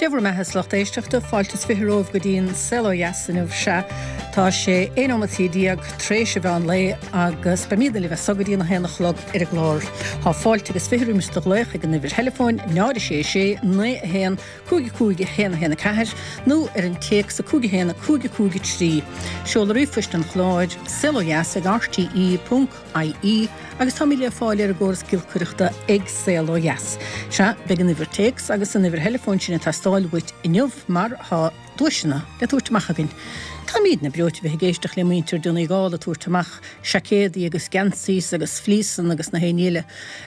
Dé bhur mbeatha a lucht éisteachta, fáilte is 20 romhaibh go dtí an Saol Ó Dheas inniu. Sea, tá sé 11 nóimeataí tréis an mheán lae agus beimídne libh as so go dtí an 1 a chlog ar an gclár. Tá fáilte agus 20 roimis do ghlaoch ag an uimhir theileafóin 0 6 6 9 1 5 5 1 1 4 nó ar an téacs 5 1 5 5 3. Seoladh ríomhphoist an chláir, saolodheas ag rte. ie agus táimid le fáil ar an gcóras giolcaireachta ag Saol Ó Dheas. Sea, beidh an uimhir téacs agus an uimhir theileafóin sin ag teastáil uait inniu mar tá duaiseanna le tabhairt amach againn. Táimídne breoite bheith ag éisteacht le muintir Donegal ag tabhairt amach seaicéadaí agus geansaís agus fleeceanna agus na haon ní eile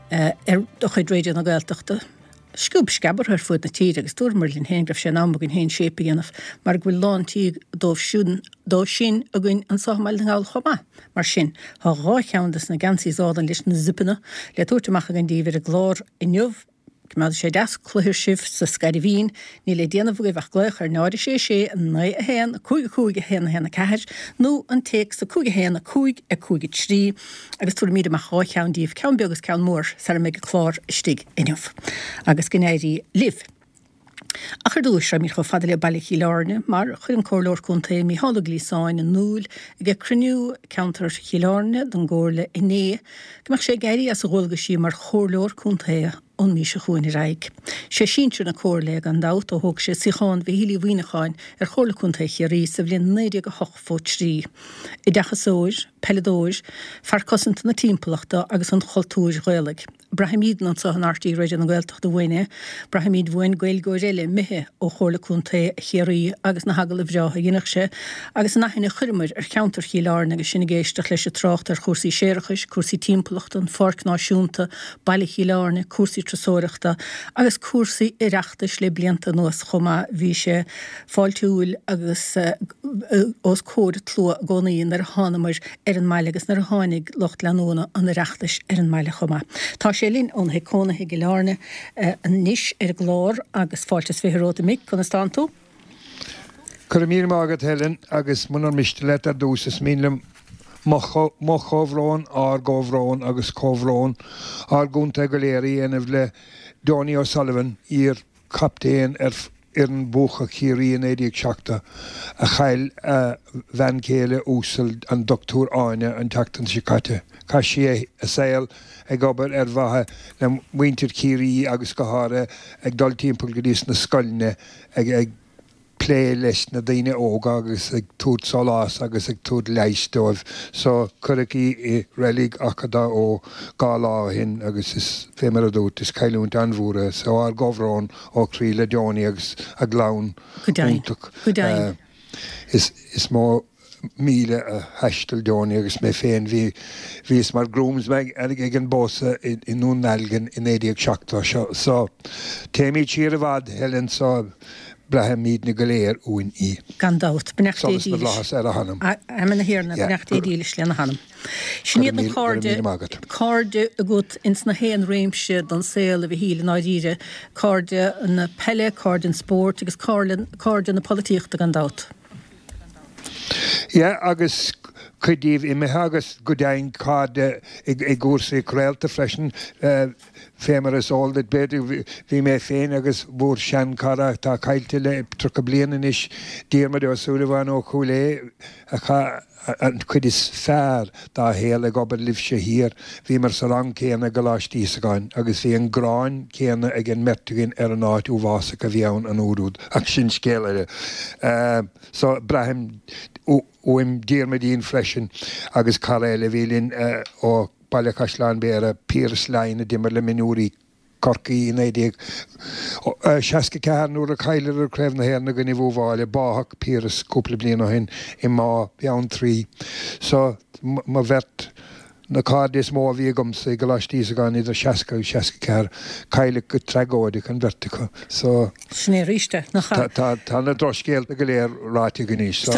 ar de chuid Raidió na Gaeltachta. Sciob sceabartha ar fuaid na tíre agus dúramar linn féin go raibh sé in am againn féin séip a dhéanamh mar go bhfuil lán tí dóibh sin dó sin againn anso i mBaile na nGall chomh maith. Mar sin, tá 2 cheann des na geansaís álainn leis na zipeanna le tabhairt amach againn daoibh ar an gclár inniu. Coimeádfaidh sé deas cluthair sibh sa scairbhín. Níl le déanamh agaibh ach glaoch ar 0 6 6 9 1 5 5 1 1 4 nó an téacs 5 1 5 5 3. Agus tabharfaimid amach 2 cheann díobh, ceann beag agus ceann mór, sara mbeidh an clár istigh inniu. Agus go n-éirí libh. Ach ar dtúis, raghaimid chomh fada le Baile Chill Airne, mar chuir an Comhairleoir Contae Mícheál Ó Gliasáin in iúl ag cruinniú ceantair Chill Airne don gComhairle inné go mbeadh sé ag éirí as a dhualgaisí mar Chomhairleoir Contae ón mí seo chugainn ar aghaidh. Sé sinsear na Comhairle é gan dabht ó thóg sé suíochán Mhichíl Uí Mhuimhneacháin ar Chomhairle Contae Chiarraí sa bhliain 1983. Oideachasóir, peileadóir, fear cosanta na timpeallachta agus an chultúir Ghaelaigh. Braithimídne anseo in RTÉ Raidió na Gaeltachta uainn é. Braithimíd uainn Gaeilgeoir eile imithe ó Chomhairle Contae Chiarraí agus na hagallaimh bhreátha a dheineadh sé agus an aithne a chuireamair ar cheantar Chill Airne agus sinn ag éisteacht leis ag trácht ar chúrsaí séarachais, cúrsaí timpeallachta, an Pháirc Náisiúnta, Baile Chill Airne, cúrsaí turasóireachta agus cúrsaí Oireachtais le blianta anuas chomh maith. Bhí sé fáiltiúil agus os comhair an tslua i gcónaí nuair a thánamair ar an mbaile agus nuair a tháinig lucht leanúna an Oireachtais ar an mbaile chomh maith. Tá sé linn óna thigh cónaithe i gCill Airne anois ar an gclár agus fáilte is 20 romhat a Mhic, conas tánn tú? Go raibh míle maith agat Helen agus munar miste leat ar dtús is mian liom mo chomhbhrón, ár gcomhbhrón agus comhbhrón ár gcontae go léir a dhéanamh le Donie O'Sullivan, iar chaptaen ar fhoireann buacach Chiarraí i 1970, a chaill a bhean chéile uasal an Dr Áine an tseachtain seo caite. Chaith sí a saol ag obair ar mhaithe le muintir Chiarraí agus go háirithe ag dul timpeall go dtí sna scoileanna ag plé leis na daoine óga agus ag tabhairt sólás agus ag tabhairt leighis dóibh. So cuireadh í i reilig Achadh Dá Eo 2 lá ó shin agus is fé mar a dúirt, is cailliúint an-mhór é. So ár gcomhbhrón ó chroí le Donie agus a gclann Go deimhin. iontach. Go deimhin. Is is mó míle a thaistil Donie agus mé féin. Bhí bhíos mar groomsman ag an bpósadh i i nDún Dealgan i 1970 seo. So téimid siar i bhfad, Helen, so braithimidne go léir uainn í. Gan dabht. Beannacht Dé Solas na bhFlaitheas ar a hanam. Amen a Thiarna, beannacht Dé dílis lena hanam. Sin iad na cairde, cairde agat ins na haon réimse den saol a Mhichíl i ndáiríre, cairde na peile, cairde an spóirt agus cairde na polaitíochta gan dabht. Yeah agus cuid díobh imithe agus go deimhin cairde i gcúrsaí craolta freisin. Fé mar is eol duit b'fhéidir bhí mé féin agus bhur seanchara atá caillte le 30 bliain anois, Diarmuid Ó Súilleabháin ó Chúil Aodha, a chaith an chuid is fearr dá shaol ag obair libhse thiar. Bhíomar sa rang céanna i gColáiste Íosagáin agus bhí an ghráin chéanna ag an mbeirt againn ar an áit uafásach a bhí ann an uair úd, ach sin scéal eile. So, braithim uaim Diarmuidín freisin agus cara eile a bhí linn ó Baile Chaisleáin Bhéarra, Piaras Laighin a d'imir le mionúirí Chorcaí i 1964 nuair a chailleadar Craobh na hÉireann i gcoinnibh Uíbh Fhailí. Báthadh Piaras cúpla bliain ó shin i mBá Bheanntraí. So, mo bheirt, na cairde is mó a bhí agamsa i gColáiste Íosagáin idir 60 agus 64, cailleadh go tragóideach an bheirt acu. So. Sin é arís é, nach ea? Tá, tá na drochscéalta go léir ráite againn anois, so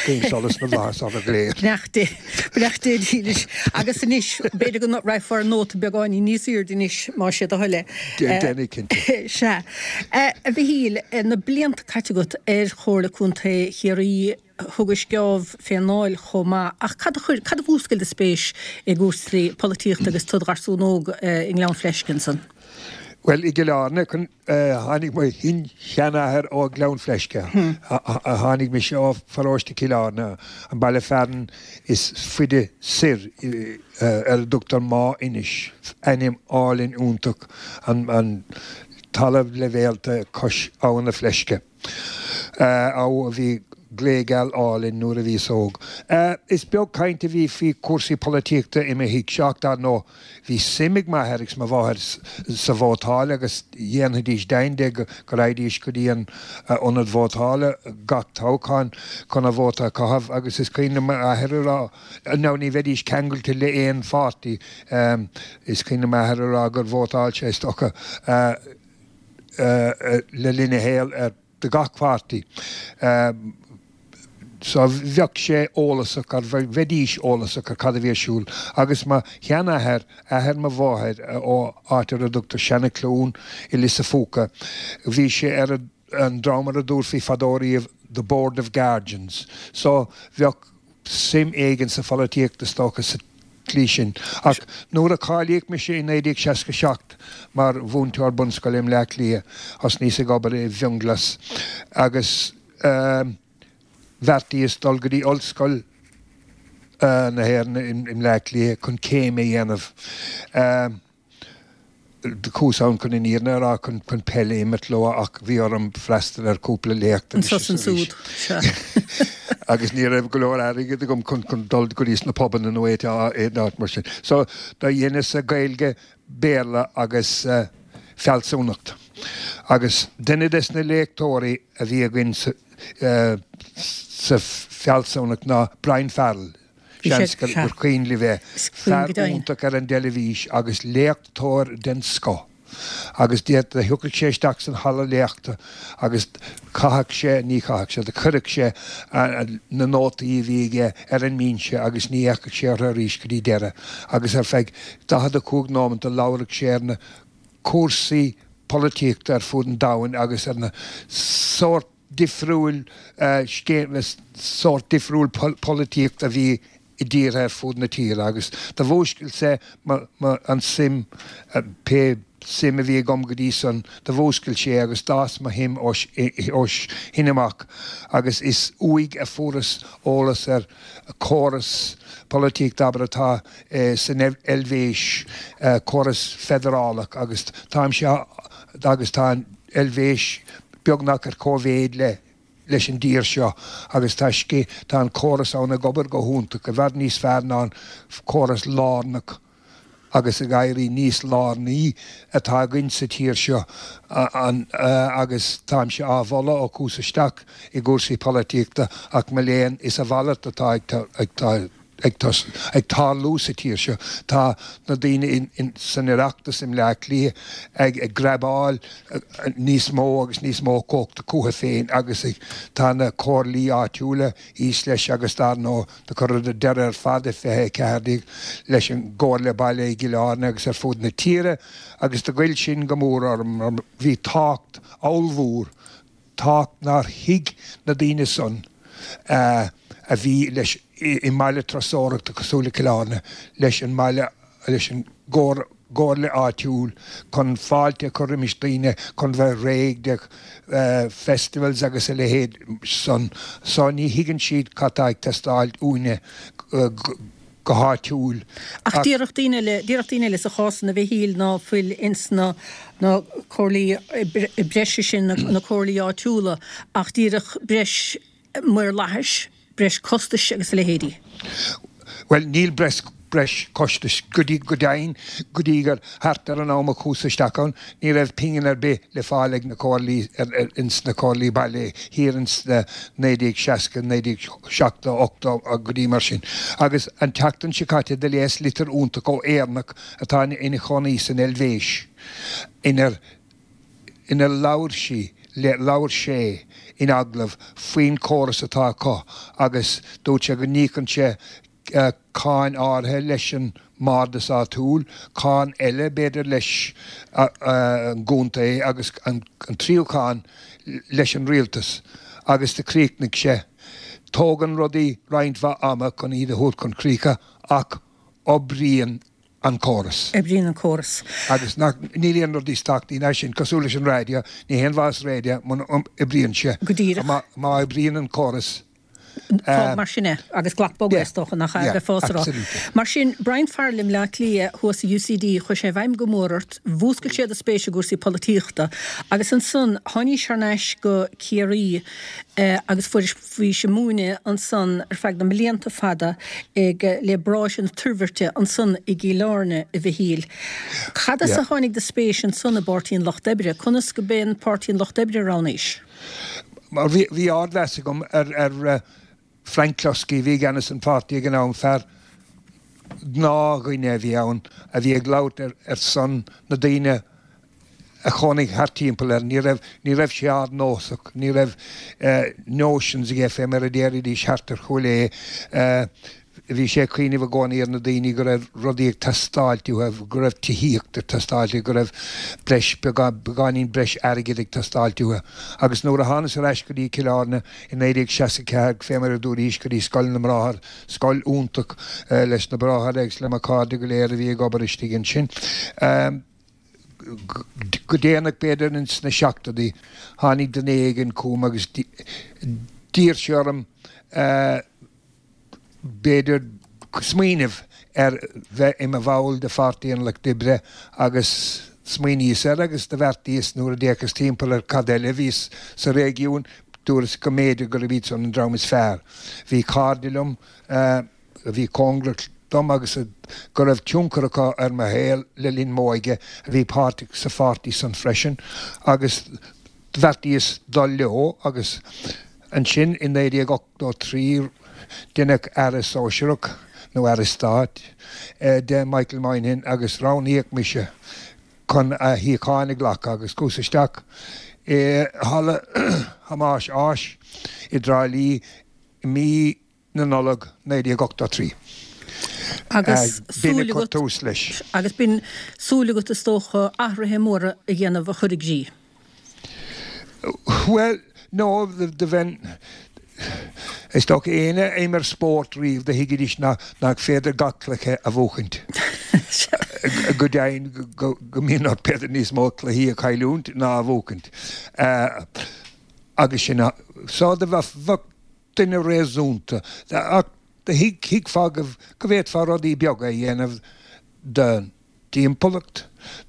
guím solas na bhflaitheas orthu go léir. Beannacht Dé, beannacht Dé dílis. Agus anois, b'fhéidir go raghfá ar nóta beagáinín níos aoirde anois, más é do thoil é. Déanfaidh, cinnte. Sea. A Mhichíl, na blianta caite agat ar Chomhairle Contae Chiarraí, thugais geábh fén nDáil chomh maith, ach cad a chuir, cad a mhúscail do spéis i gcúrsaí polaitíochta agus tú i do gharsún óg i nGleann Fleisce ansan? Bhuel, i gCill Airne, tháinig mo shin-sheanathair ó Ghleann Fleisce. Tháinig mise ó pharóiste Chill Airne, an baile fearainn is faide soir, ar a dtugtar Máigh Inis, ainm álainn iontach, an talamh leibhéalta cois Abha na Fleisce. Abha a bhí gléigeal álainn nuair a bhíos óg. Is beag caint a bhí faoi chúrsaí polaitíochta i mo thigh-se ach dar ndóigh bhí suim ag m'athair agus mo mháthair sa vótáil agus dhéanfaidís deimhin de go raghaidís go dtí an ionad vótála gach toghchán chun a vóta a chaitheamh agus is cuimhin liom m'athair a rá, now ní bheidís ceangailte le aon pháirtí, is cuimhin liom m'athair a rá gur vótáil sé is dócha, le linn a shaoil ar do gach páirtí. So bheadh sé eolasach ar, bheidís eolasach ar cad a bhí ar siúl. Agus mo sheanathair, athair mo mháthair, ó áit ar a dtugtar Seanacluain i Lios a' Phúca, bhí sé ar an dream ar a dtabharfaí fadó riamh the Board of Guardians. So bheadh suim éigin sa pholaitíocht is dócha sa tslí sin. Ach nuair a cáilíodh mise i 1967 mar mhúinteoir bunscoile i mBleá Cliath, thosnaíos ag obair i bhFionnghlas agus bheartaíos dul go dtí Ollscoil na hÉireann i mBleá Cliath chun céim a dhéanamh. Chuas ann chun an fhírinne a rá, chun peil a imirt leo ach bhí orm freastal ar chúpla léacht anois is arís. Agus ní raibh go leor airgid agam chun dul go dtí sna pubanna nó aon áit mar sin. So do dheineas-sa Gaeilge, Béarla agus fealsúnacht. Agus duine des na léachtóirí a bhí againn sa fealsúnacht ná Brian Farrell. Seans gur cuimhin libh é. Fear iontach ar an dteilifís agus léachtóir den scoth. Agus do thiocfadh sé isteach san halla léachta agus chaitheadh sé, ní chaitheadh sé, do chuireadh sé na nótaí a bhí aige ar an mbinse agus ní fhéachadh sé orthu arís go dtí deireadh. Agus ar feadh 45 nóimeant do labhradh sé ar na cúrsaí polaitíochta ar fud an domhain agus ar na sórt difriúil scéim, sórt difriúil polaitíocht a bhí i dtíortha ar fud na tíre agus do mhúscail sé an suim, pé suim a bhí agam go dtí san, do mhúscail sé agus d'fhás mo shuim ó shin amach agus is uaidh a fuaireas eolas ar chóras polaitíochta abair atá san Eilvéis, córas feidearálach agus táimse agus tá an Eilvéis beagnach ar cóimhéid le leis an dtír seo agus tá tá an córas ann ag obair go hiontach, i bhfad níos fearr ná an córas lárnach agus ag éirí níos lárnaí atá againn sa tír seo an agus táimse á mholadh ó chuas isteach i gcúrsaí polaitíochta ach mo léan is a mhalairt atá ag ag ag tarlú sa tír seo. Tá na daoine san Oireachtas i mBleá Cliath ag grabáil níos mó agus níos mó cumhachta chucu féin agus tá na comhairlí áitiúla thíos leis agus dar ndóigh do cuireadh deireadh ar fad i 2014 leis an gComhairle Baile i gCill Airne agus ar fud na tíre agus do ghoill sin go mór orm mar bhí tábhacht ollmhór tábhacht nár thuig na daoine san a bhí leis i mbaile turasóireachta cosúil le Cill Airne leis an mbaile, leis an gcomhairle áitiúil chun fáilte a chur roimis daoine chun bheith réidh de festivals agus a leithéid san. So ní thuigeann siad cad tá ag teastáil uainne go háitiúil. Ach déarfadh daoine eile, déarfadh daoine eile sa chás san a Mhichíl ná fuil ins na na comhairlí breise sin, na comhairlí áitiúla ach díreach breis maorlathais, breis costais agus a leithéidí. Bhuel, níl breis breis costais go dtí, go deimhin, go dtí gur thart ar an am a chuas isteach ann, ní raibh pingin ar bith le fáil ag na comhairlí, ins na comhairlí baile thiar ins na 1960, 1970, 80 go dtí mar sin. Agus an tseachtain seo caite do léas litir iontach ó Éireannach atá ina chónaí san Eilvéis inar inar labhair sí, labhair sé in agallamh faoin chóras atá acu agus dúirt sé go n-íocann sé cáin áirithe leis an mbardas áitiúil, cáin eile b'fhéidir leis an gcontae agus an tríú cáin leis an rialtas agus do chríochnaigh sé, Tógann rudaí roinnt mhaith ama chun iad a thabhairt chun críche ach oibríonn. An córas. Oibríonn an córas. Agus nach, níl aon rud níos tábhachtaí ná sin, cosúil leis an raidió, ní haon mhaitheas raidió muna oibríonn sé. Go díreach. Má, má oibríonn an córas. Fág mar sin é agus glac bogadh, is dócha, nach ea, bheifeá ag rá. Mar sin, Brian Farrell i mBleá Cliath thuas i UCD, chuir sé i bhfeidhm go mór ort, mhúscail sé do spéis i gcúrsaí polaitíochta agus ansan tháinís thar n-ais go Ciarraí agus fuairis, Bhís ag múineadh ansan ar feadh na mblianta fada ag le Bráithre na Toirbhirte ansan i gCill Airne, a Mhichíl. Cad as a tháinig do spéis ansan i bPáirtí an Lucht Oibre? Conas go b'é an Páirtí an Lucht Oibre a roghnaís? Mar bhí bhí ardmheas agam ar ar Frank Cluskey a bhí i gceannas an pháirtí ag an am, fear gnáthdhuine a bhí ann a bhí ag labhairt ar ar son na daoine a chónaigh thart timpeall air. Ní raibh, ní raibh sé ardnósach, ní raibh notions aige fé mar a déarfaidís thart ar Chúil Aodha. Bhí sé ag cuimhneamh i gcónaí ar na daoine go raibh rudaí ag teastáilt uathu, go raibh tithíocht ag teastáilt uathu, go raibh breis, beagán, beagáinín breis airgid ag teastáilt uathu. Agus nuair a thánas ar ais go dtí Cill Airne i 1964, fé mar a dúraís, go dtí Scoil na mBráthar, scoil iontach leis na bráithre agus le mo chairde go léir a bhí ag obair istigh ansin, Go déanach, b'fhéidir ins na seachtóidí, tháinig duine éigin chugam agus d'iarr sé orm b'fhéidir smaoineamh ar bheith i mo bhall de Pháirtí an Lucht Oibre agus smaoiníos air agus do bheartaíos nuair a d'fhéachas timpeall ar cad eile a bhí sa réigiún, dúras go mb'fhéidir gurb iad san an dream is fearr. Bhí cairde liom a bhí cóngarach dom agus go raibh tionchar acu ar mo shaol le linn m'óige, a bhí páirteach sa pháirtí san freisin agus bheartaíos dul leo agus ansin i 1983 deineadh Aire Sóisearach, nó Aire Stáit, de Michael Moynihan agus roghnaíodh mise chun a shuíochán a ghlacadh agus chuas isteach i Halla Thomáis Ághas i dTrá Lí i mí na Nollag 1983. Agus B'in a súil chuir agat, tús leis. agus b'in súil agat is dócha athruithe móra a dhéanamh a chur i gcrích. Bhuel, no, do bheinn, is dócha éinne a imir spórt riamh do thuigfidís nach féidir gach cluiche a bhuachaint. Go deimhin go mbíonn ort b'fhéidir níos mó cluichí a chailliúint ná a bhuachaint. Agus sin, so do bheadh, duine réasúnta, ach do thuigfeá go bhféadfá rudaí beaga a dhéanamh don dtimpeallacht,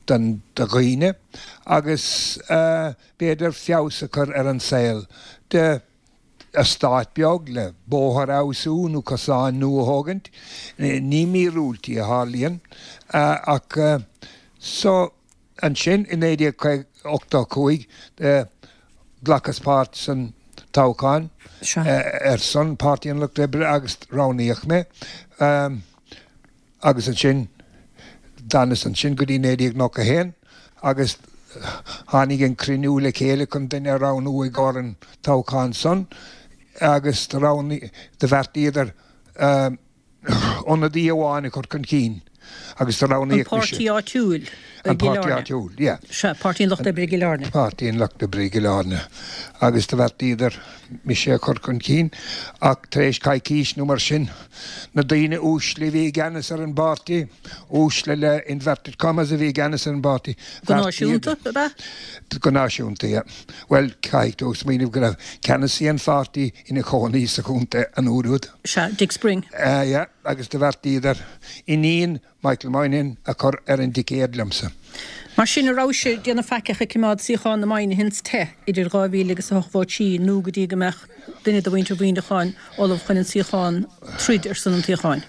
don do dhaoine agus b'fhéidir feabhas a chur ar an saol de eastát beag le bóthar a fheabhsú nó cosáin nua a thógaint. Ní míorúiltí a tharlaíonn ach so. Ansin i 1985 ghlacas páirt san toghchán ar son Páirtí an Lucht Oibre agus roghnaíodh mé. Agus ansin d'fhanas ansin go dtí 1991 agus tháinig an cruinniú le chéile chun duine a roghnú i gcomhair an toghchán san agus do roghnaigh, do bheartaíodar, ionadaí amháin a chur chun cinn agus do roghnaíodh mise. An páirtí áitiúil i gCill Airne. An páirtí áitiúil, yeah. Sea, Páirtí an Lucht Oibre i gCill Airne. Páirtí an Lucht Oibre i gCill Airne. Agus do bheartaíodar mise a chur chun cinn ach tar éis coicís nó mar sin, na daoine uaisle a bhí i gceannas ar an bpáirtí, uaisle le inverted commas a bhí i gceannas ar an bpáirtí, Go náisiúnta, ab ea? Go náisiúnta, yeah. Bhuel, caithfidh tú smaoineamh go raibh ceannasaí an pháirtí ina chónaí sa chontae an uair úd. Sea, Dick Spring. Yeah, agus do bheartaíodar iníon Michael Moynihan a chur ar an dticéad liomsa. Mar sin, an rabhais ag déanamh faiceach ag coimeád suíochán na Moynihans te idir 2000 agus 8 vóta nó go dtí go mbeadh duine de mhuintir Mhuineacháin ullamh chun an suíochán troid ar son an tsuíocháin?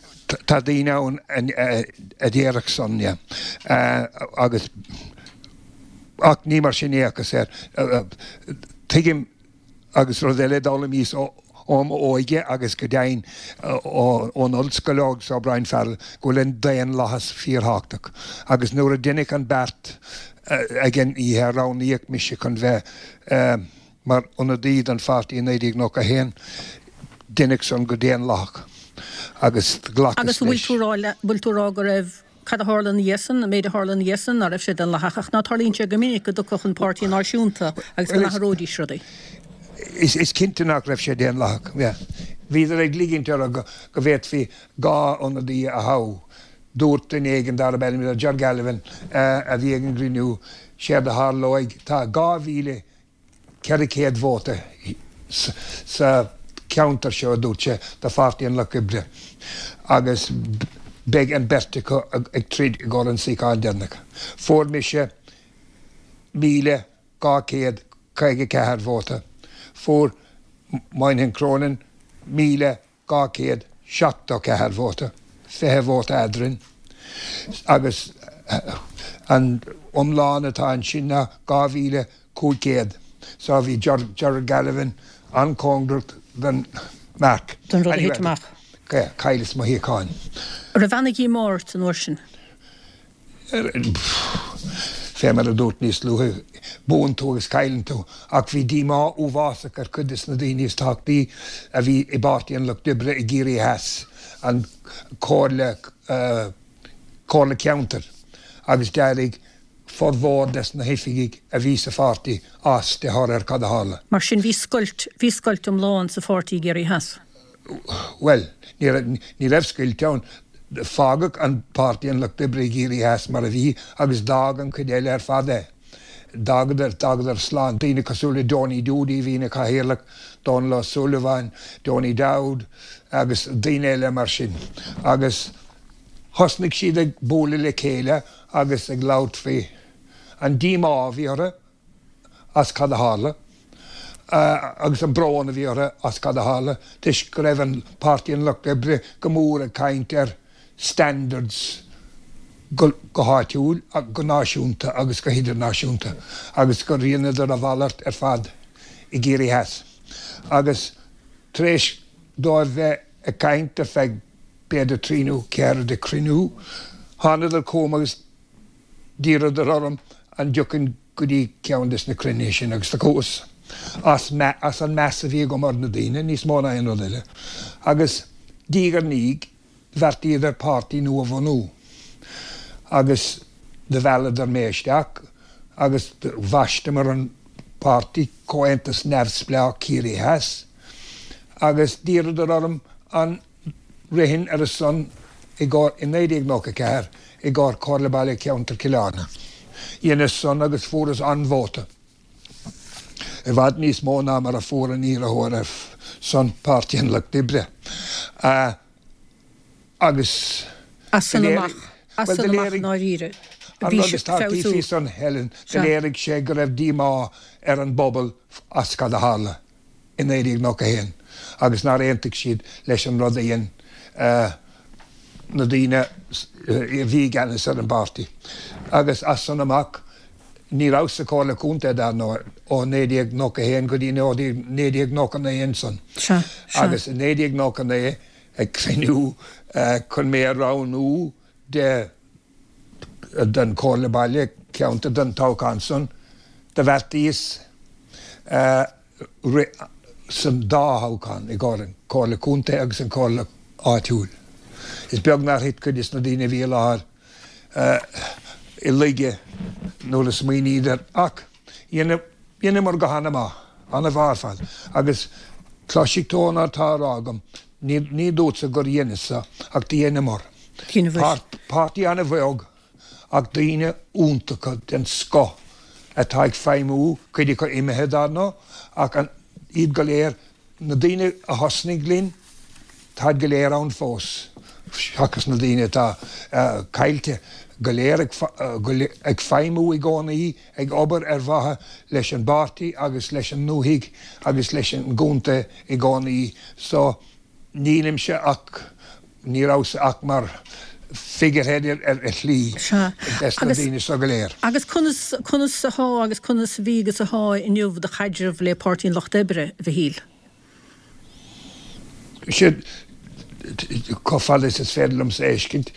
Tá daoine ann a déarfadh san, yeah. Agus, ach ní mar sin a fhéachas air. Tuigim Agus rud eile a d'fhoghlaimíos ó m'óige agus go deimhin ón ollscoil agus ó Brian Farrell, go bhfuil an daonlathas fíorthábhachtach. Agus nuair a deineadh an beart ag an oíche a roghnaíodh mise chun bheith mar ionadaí don pháirtí i 1991, deineadh san go daonlathach agus ghlacas leis. Agus an bhfuil tú a rá go raibh Cad a tharla ina dhiaidh san, an méid a tharla ina dhiaidh san, ná raibh sé daonlathach, ach ná tarlaíonn sé go minic go dtiocfadh an páirtí náisiúnta agus go n-athróidís rudaí. Is cinnte nach raibh sé daonlathach. Yeah. Bhíodar ag ligint orthu go bhféadfaí 2 ionadaí a thoghadh. Dúirt duine éigin darb ainm do Ger Galvin a bhí ag an gcruinniú, séard a tharlóidh, tá 2,400 vóta sa cheantar seo, a dúirt sé, do Pháirtí an Lucht Oibre agus beidh an bheirt acu ag troid i gcomhair an suíochán deireanach. Fuair mise 1,254 vóta, fuair Moynihan Cronin 1,000. 274 vóta, 20 vóta eadrainn, agus an iomlán atá ansin ná 2,500. So bhí Gerard Galvin an-chóngarach don marc. Don rud a thit amach. Chailleas mo shuíochán. An raibh ana-dhíomá ort an uair sin? Fé mar a dúrt níos luaithe, buann tú agus cailleann tú, ach bhí díomá uafásach ar chuid de na daoine is tábhachtaí a bhí i bPáirtí an Lucht Oibre i gCiarraí Theas, an Chomhairle, Comhairle Ceantair, agus d'éirigh formhór des na hoifigigh a bhí sa pháirtí as de thoradh ar cad a tharla. Mar sin bhí scoilt, bhí scoilt iomlán sa pháirtí i gCiarraí Theas. Bhuel, ní raibh scoilt ann. Fágadh an Páirtí an Lucht Oibre i gCiarraí Theas mar a bhí agus d'fhág an chuid eile ar fad é. D'fhágadar, d'fhágadar slán. Daoine cosúil le Donie Doody a bhí ina chathaoirleach, Dónal Ó Súilleabháin, Donie Dowd agus daoine eile mar sin. Agus thosnaigh siad ag bualadh le chéile agus ag labhairt faoi an díomá a bhí orthu. as cad a tharla, agus an brón a bhí orthu as cad a tharla, toisc go raibh an Páirtí an Lucht Oibre go mór ag caint ar standards go háitiúil, go náisiúnta agus go hidirnáisiúnta, agus gur dheineadar a mhalairt ar fad i gCiarraí Theas. Agus tar éis dóibh bheith ag caint ar feadh b'fhéidir trí nó ceathair de chruinniú, thánadar chugam agus D'iarradar orm an dtiocfainn go dtí ceann des na cruinnithe sin agus do chuas, as as an meas a bhí agam ar na daoine, níos mó ná aon rud eile. Agus diaidh ar ndiaidh, bheartaíodar páirtí nua a bhunú agus do mhealladar mé isteach agus do bhaisteamar an páirtí Comhaontas Neamhspleách Ciarraí Theas agus d'iarradar orm an rithfinn ar a son i gcomhair i 1994 i gcomhair Comhairle Baile Cheantar Chill Airne. Dheineas san agus fuaireas an-vóta, i bhfad níos mó ná mar a fuair an iarrthóir ar son Páirtí an Lucht Oibre. Agus As san amach, as san amach i ndáiríre, bhí feabhsú. Faoi san, Helen, do léirigh sé go raibh díomá ar an bpobal as cad a tharla. i 1991 agus nár aontaigh siad leis an rud a dhein na daoine a bhí i gceannas ar an bpáirtí. Agus as san amach, ní rabhas sa Chomhairle Contae, dar ndóigh, ó 1991 go dtí 1999 ansan. Agus i 1999, ag cruinniú chun mé a roghnú de don Chomhairle Baile, Ceantair don toghchán san, do bheartaíos rith san dá thoghchán, i gcomhair an Chomhairle Contae agus an Chomhairle Áitiúil. Is beag nár thit cuid des na daoine a bhí i láthair i laige nuair a smaoiníodar, ach dheineamar go han-mhaith, an-mhaith ar fad, agus cloisfidh tú ón atá á rá agam, Ní dúrtsa gur dheineas-sa, ach do dheineamar. Páirtí an-bheag ach daoine iontacha den scoth atá ag feidhmiú, cuid acu imithe dar ndóigh, ach iad go léir, na daoine a thosnaigh linn, táid go léir ann fós, seachas na daoine atá caillte, go léir ag feidhmiú i gcónaí, ag obair ar mhaithe leis an bpáirtí agus leis an ndúthaigh agus leis an gcontae i gcónaí so nílimse ach, ní rabhas ach mar figurehead ar shlí des na daoine so go léir. Agus conas, conas athá agus conas a bhí agus athá inniu do chaidreamh le Páirtí an Lucht Oibre, a Mhichíl? Sea, chomh fada is is féidir liomsa a fheiscint,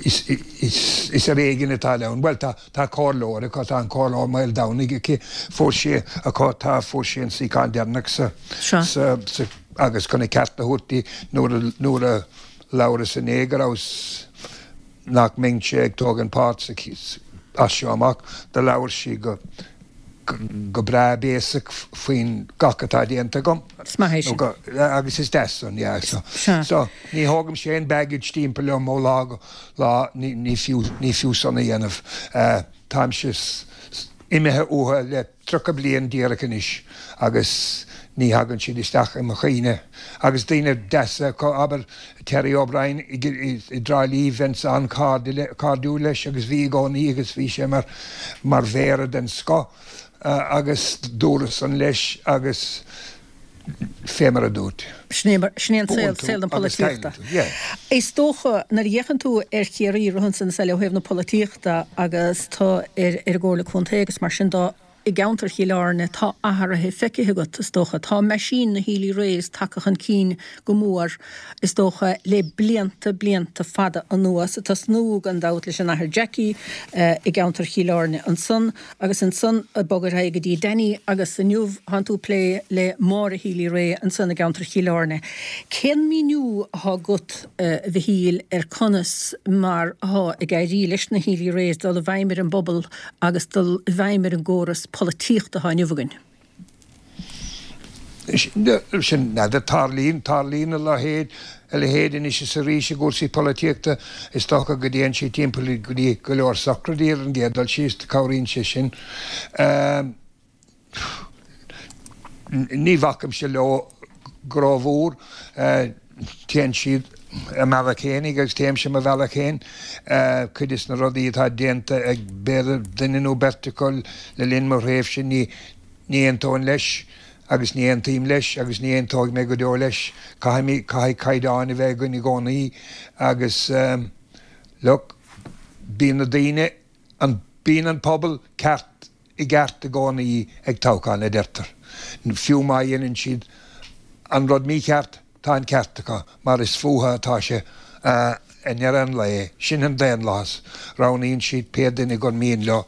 is ar éigean atá ann. Bhuel, tá comhairleoir acu, tá an comhairleoir Maoldomhnaigh aici, fuair sí, acu, tá, fuair sí an suíochán deireanach sa, sa, sa, agus chun a ceart a thabhairt di, nuair a, nuair a labhras inné go rabhas, nach mbeinnse ag tógaint páirt sa, as seo amach, do labhair sí go. go breá béasach faoin gach atá déanta agam. Is maith é sin. Agus is deas san, yeah. So, so ní thógaimse aon baggage timpeall liom ó lá go lá, ní fiú, ní fiú san a dhéanamh. Táimse imithe uathu le 30 bliain díreach anois agus ní thagann siad isteach i mo chuimhne. Agus daoine deasa acu, abair Terry O'Brien i dTrá Lí, bheinnse an-chairdiúil leis agus bhí i gcónaí agus bhí sé mar mar mhéara den scoth agus dúradh san leis agus fé mar a dúirt. Sin é an saol, saol na polaitíochta. Is dócha, nuair a fhéachann tú ar Chiarraí i rith ansan is eile ó thaobh na polaitíochta agus tú ar an gComhairle Contae agus mar sin de, i gceantar Chill Airne, tá athruithe feicthe agat, is dócha. Tá meaisín na Healy-Raes tagtha chun cinn go mór, is dócha, le blianta, blianta fada anuas, ag tosnú, gan dabht, leis an Athair Jackie i gceantar Chill Airne ansan. Agus ansan ag bogadh ar aghaidh go dtí Danny agus inniu thánn tú ag plé le Máire Healy-Rae ansan i gceantar Chill Airne. Cén míniú athá agat, a Mhichíl, ar conas mar athá ag éirí leis na Healy-Raes dul i bhfeidhm ar an bpobal agus dul i bhfeidhm ar an gcóras polaitíochta athá inniu againn? Sin, n'fheadar, tarlaíonn, tarlaíonn a leithéid, a leithéid anois is arís i gcúrsaí polaitíochta. Is dócha go dtéann siad timpeall go dtí go leor sochraidí ar an gcéad dul síos, cabhraíonn sé sin. Ní bhacaimse leo go rómhór, téann siad a mbealach fhéinig agus téimse mo bhealach féin. Cuid des na rudaí atá déanta ag b'fhéidir duine nó beirt acu le linn mo thréimhse, ní, Ní aontóinn leis, agus ní aontaím leis, agus ní aontóidh mé go deo leis. Caithfidh, caithfidh caighdeáin a bheith againn i gcónaí agus, look, bíonn na daoine, an, bíonn an pobal ceart, i gceart i gcónaí ag toghchán, a deirtear. Fiú má dhéanann siad an rud mícheart, Tá an ceart acu, mar is fúthu atá sé i ndeireadh an lae. Sin an daonlathas. Roghnaíonn siad pé duine gur mian leo.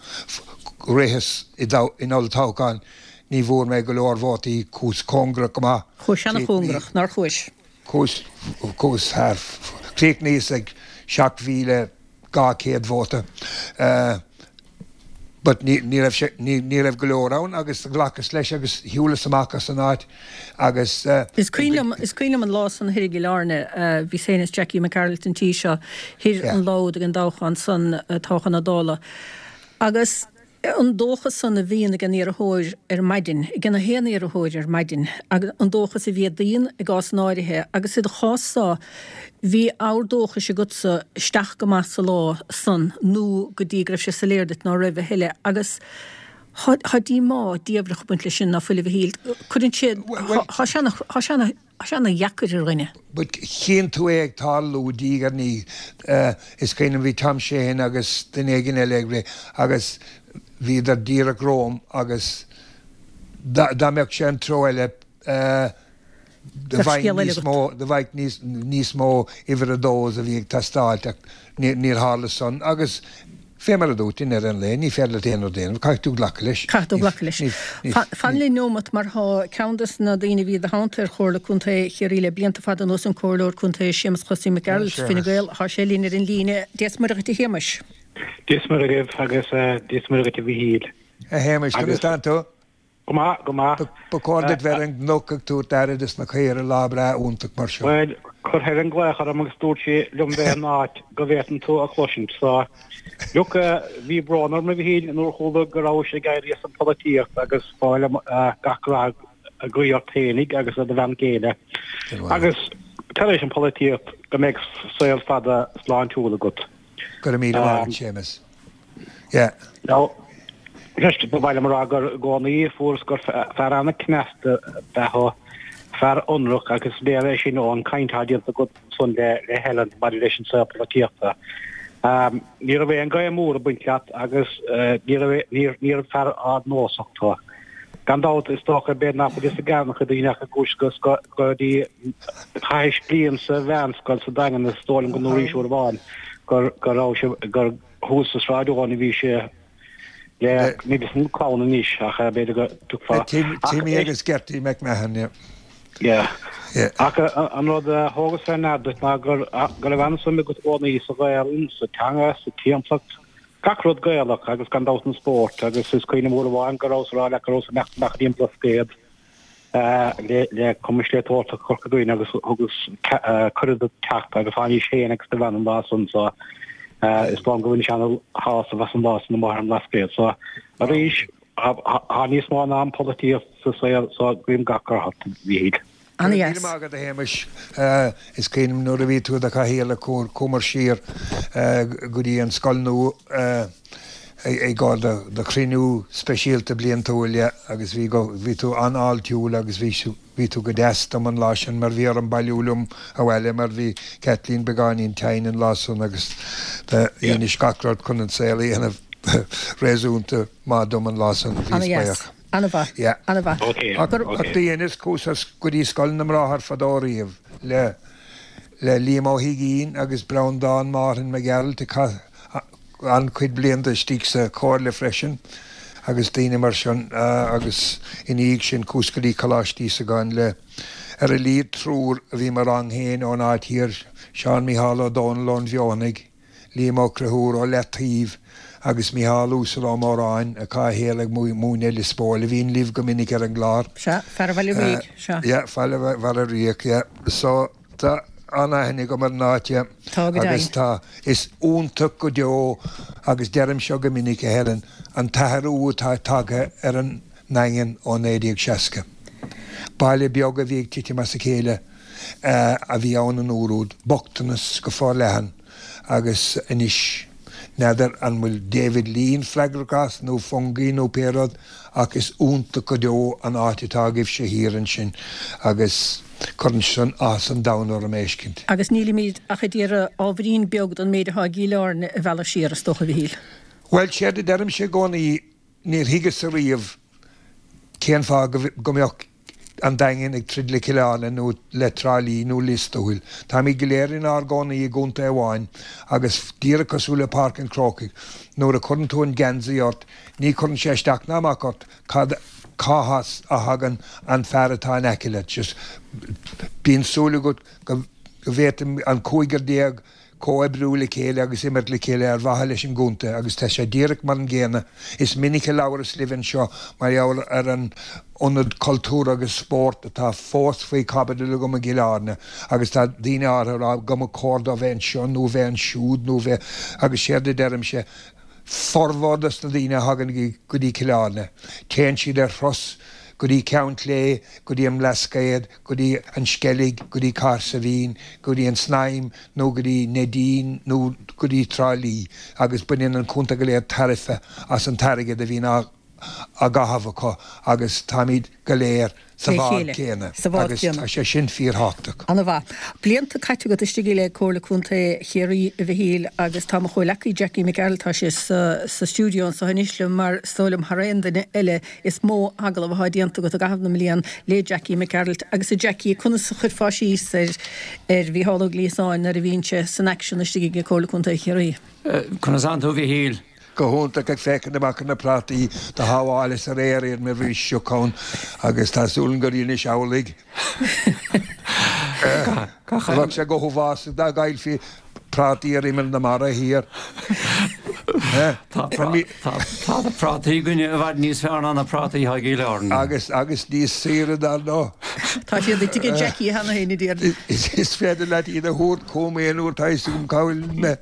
Ritheas in olltoghchán, ní bhfuair mé go leor vótaí, chuas cóngarach go maith. Chuais ana-chóngarach, nár chuais? Chuas, chuas thar, chríochnaíos ag 7,200 vóta. But ní, ní raibh sé, ní, ní raibh go leor ann agus ghlacas leis agus shiúlas amach as an áit agus. Is cuimhin liom, is cuimhin liom an lá san thoir i gCill Airne, bhíos féin is Jackie McGarrelt an tí seo thoir an lá úd ag an dtoghchán san, toghchán na Dála. Agus an dóchas san a bhíonn ag an iarrthóir ar maidin, ag an aon iarrthóir ar maidin, agus an dóchas a mhéadaíonn i gcás in áirithe agus i do chás-sa, Bhí abhar dóchais agatsa isteach go maith sa lá san nó go dtí go raibh sé soiléir duit ná raibh a thuilleadh agus thá díomá diabhlach ag baint leis sin ná fuil a Mhichíl. Cuireann sé, thá sé ana, thá sé ana, thá sé ana dheacair ar dhuine. But chíonn tú é ag tarlú diaidh ar ndiaidh. Is cuimhin liom bhí Tom Sheahan agus duine éigin eile ag rith agus bhíodar díreach romham agus dá mbeadh sé an treo eile, Do bheadh níos mó, do bheadh níos mó uimhir a dós a bhí ag teastáilt ach níor tharla san agus fé mar a dúirt, i ndeireadh an lae, ní féidir leat aon rud a dhéanamh, caithfidh tú glacadh leis. Caithfidh tú glacadh leis. Fan linn nóimeat mar thá ceann des na daoine a bhí i do theannta ar Chomhairle Contae Chiarraí le blianta fada anuas, an Comhairleoir Contae Séamus Chosaí Mac Gearailt, Fine Gael, thá sé linn ar an líne. Dia 's Muire dhuit a Shéamais. Dia 's Muire dhaoibh agus Dia 's Muire dhuit a Mhichíl. A Shéamais, conas tánn tú? Go maith, go maith. Ba chóir duit bheith ar an gcnoc ag tabhairt aire dos na caoire lá breá iontach mar seo. Bhuel, chuir Helen glaoch orm agus dúirt sí liom bheith in áit go bhféadfainn tú a chloisint. So, look, bhí brón orm a Mhichíl nuair a chuala go rabhais ag éirí as an pholaitíocht agus ba mhaith liom gach rath a ghuí ort féinig agus ar do bhean chéile. Agus tar éis an pholaitíocht go mbeidh saol fada sláintiúil agat. Go raibh míle maith agat, Séamus. Yeah. Now, just ba mhaith liom a rá gur i gcónaí fuaireas gur fear an-cneasta ab ea thú, fear ionraic agus is léir é sin ón gcaint atá déanta agat ansan le le Helen maidir leis an saol polaitíochta. Ní raibh aon ghaoth mór ag baint leat agus ní raibh níor níorbh fear ardnósach tú. Gan dabht is dócha b'fhéidir nach bhfuil fhios ag an-chuid daoine ach i gcúis go go dtí chaithis bliain sa mheánscoil sa Daingean is dóigh liom go ndúraís uair amháin gur go raibh sé gur thuas sa Sráid Eoin a bhí sé le níl fhios agam clann anois ach b'fhéidir go dtiocfá Timmy agus Gertie McMahon, yeah. Yeah. Yeah. Ach an rud a thógas fé ndear duit ná gur go raibh an-suim agat i gcónaí sa Ghaelainn, sa teanga, sa timpeallacht. Gach rud Gaelach agus gan dabht an spórt agus is cuimhin liom uair amháin go rabhas ag rá leat go rabhas ag imeacht amach go dtí an Blascaod le le Cumann Sléibhteoireachta Chorca Dhuibhne agus thugas cuireadh duit teacht agus tháinís féin agus do bhean an lá san so is dóigh liom go bhainis ana-shásamh as an lá san amuigh ar an mBlascaod so arís tá níos mó ná an pholaitíocht sa saol so guím gach rath ort a Mhíchíl. Go raibh míle maith agat a Shéamais. Is cuimhin liom nuair a bhí tú i do chathaoirleach chuamar siar go dtí an scoil nua i gcomhair do chruinniú speisialta bliantúil agus bhí bhí tú an-fháiltiúil agus bhí bhí tú go deas dom an lá sin mar bhí orm bailiú liom abhaile mar bhí Kathleen beagáinín tinn an lá san agus dheinis gach rud chun an saol a dhéanamh réasúnta maith dom an lá san. Bhíos buíoch. An-mhaith. Yeah. An-mhaith. Ok. Ach do dheineas chuas go dtí Scoil na mBráthar fadó riamh le le Liam Ó hUiginn agus Breandán Márthain Mac Gearailt a chaith an-chuid blianta istigh sa Chomhairle freisin agus daoine mar sin agus ina dhiaidh sin chuas go dtí Coláiste Íosagáin le ar a laghad triúr a bhí mo rang féin ón áit thiar, Seán Micheál Ó Dónaill ón Bhfeothanaigh. Liam Ó Conchúir ó Leataoibh agus Micheál Uasal Ó Móráin atá a shaol ag múineadh i Lios Póil, a bhíonn libh go minic ar an gclár. Sea, fear Bhaile Ríog, sea. Yeah, fear Bhaile Ríog, yeah. So, tá an-aithne agam ar an áit, yeah. Tá go deimhin. Agus tá, is iontach go deo, agus deirim seo go minic, a Helen, an t-athrú atá tagtha ar an nDaingean ó 1960. Baile beag a bhí ag titim as a chéile a bhí ann an uair úd, bochtanas go forleathan agus anois n'fheadar an bhfuil David Lean freagrach as nó fungi nó pé rud ach is iontach go deo an áit atá agaibhse thiar ansin agus cuireann san áthas an domhain orm a fheiscint. Agus nílimid ach ag iarraidh ábhairín beag den méid atá i gCill Airne a mhealladh siar, is dócha, a Mhichíl. Bhuel, séard a deirimse i gcónaí, Níor thuigeas ariamh cén fáth go mbeadh an Daingean ag troid le Cill Airne nó le Trá Lí nó Lios Tuathail. Táimid go léir inár gcónaí i gcontae amháin agus díreach cosúil le Páirc an Chrócaigh, nuair a chuireann tú an geansaí ort, ní chuireann sé isteach ná amach ort cad cá has a thagann an fear atá in aice leat. Just bíonn súil agat go bhféadfaidh an 15 comhoibriú le chéile agus imirt le chéile ar mhaithe leis an gcontae agus tá sé díreach mar an gcéanna. Is minic a labhras libh anseo mar gheall ar an ionad cultúrtha agus spóirt atá fós faoi chaibidil agam i gCill Airne agus tá daoine áirithe ag rá go mba chóir dó bheith anseo nó bheith ansiúd nó bheith agus séard a deirimse formhór dos na daoine a thagann go dtí Cill Airne téann siad ar thuras go dtí Ceann Clé, go dtí an mBlascaod, go dtí an Sceilg, go dtí Cahersiveen, go dtí an tSnaidhm nó go dtí Neidín nó go dtí Trá Lí agus baineann an contae go léir tairbhe as an t-airgead a bhíonn á gcaitheamh acu agus táimid go léir sa bhád céanna agus tá sé sin fíorthábhachtach. Ana-mhaith. Blianta caite agat istigh le Comhairle Contae Chiarraí, a Mhichíl, agus tá mo chomhleacaí Jackie Mac Gearailt, tá sé sa stiúideo anseo anois liom mar is dóigh liom thar aon duine eile Is mó agallamh atá déanta agat i gcaitheamh na mblian le Jackie Mac Gearailt agus a Jackie, conas a chuirfeá síos ar ar Mhícheál Ó Gliasáin nuair a bhíonn sé san aicsean istigh ag Comhairle Contae Chiarraí? Conas tánn tú a Mhichíl? Go hiontach ag féachaint amach ar na prátaí do shábháileas aréir iad mar bhí sioc ann agus tá súil agam gur dheinis amhlaidh. Bheadh sé go huafásach dá gcaillfí prátaí ar imeall na mara thiar. Tá na prátaí againne i bhfad níos fearr ná na prátaí atá i gCill Airne. Agus agus níos saoire dar ndóigh. Tá siad ag tigh Jackie cheana féin a déarfainn. Is féidir leat iad a thabhairt chugam aon uair tá fhios agam cá bhfuil mé.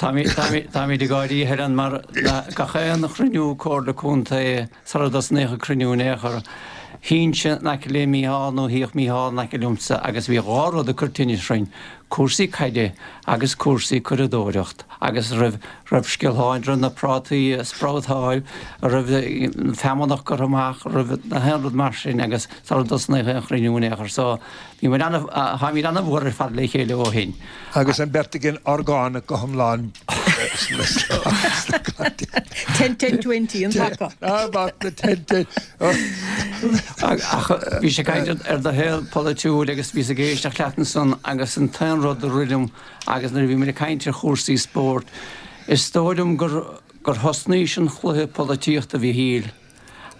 Táimid ag gáirí a Helen mar gach aon chruinniú Comhairle Contae Sara dtosnaíodh an cruinniú in aon chor, shuínnse in aice le Mícheál nó shuíodh Mícheál in aice liomsa agus bhí dhá rud ag cur tinnis orainn, cúrsaí caide agus cúrsaí curadóireacht agus raibh raibh sciolláin, raibh na prátaí ag sproutáil, raibh an feamnach curtha amach, raibh na haon rud mar sin agus sara dtosnaíodh aon chruinniú in aon chor. So, bhí muid ana, táimid ana-mhór ar fad le chéile ó shin. Agus an bheirt againn orgánach go hiomlán. Ten ten 20 an taca. Amach na ten ten. Ach bhís ag caint ar do shaol polaitiúil agus bhíos ag éisteacht leat ansan agus an t-aon rud a rith liom agus nuair a bhí muid ag caint ar chúrsaí spóirt, is dóigh liom gur gur thosnaís an chluiche polaitíochta a Mhichíl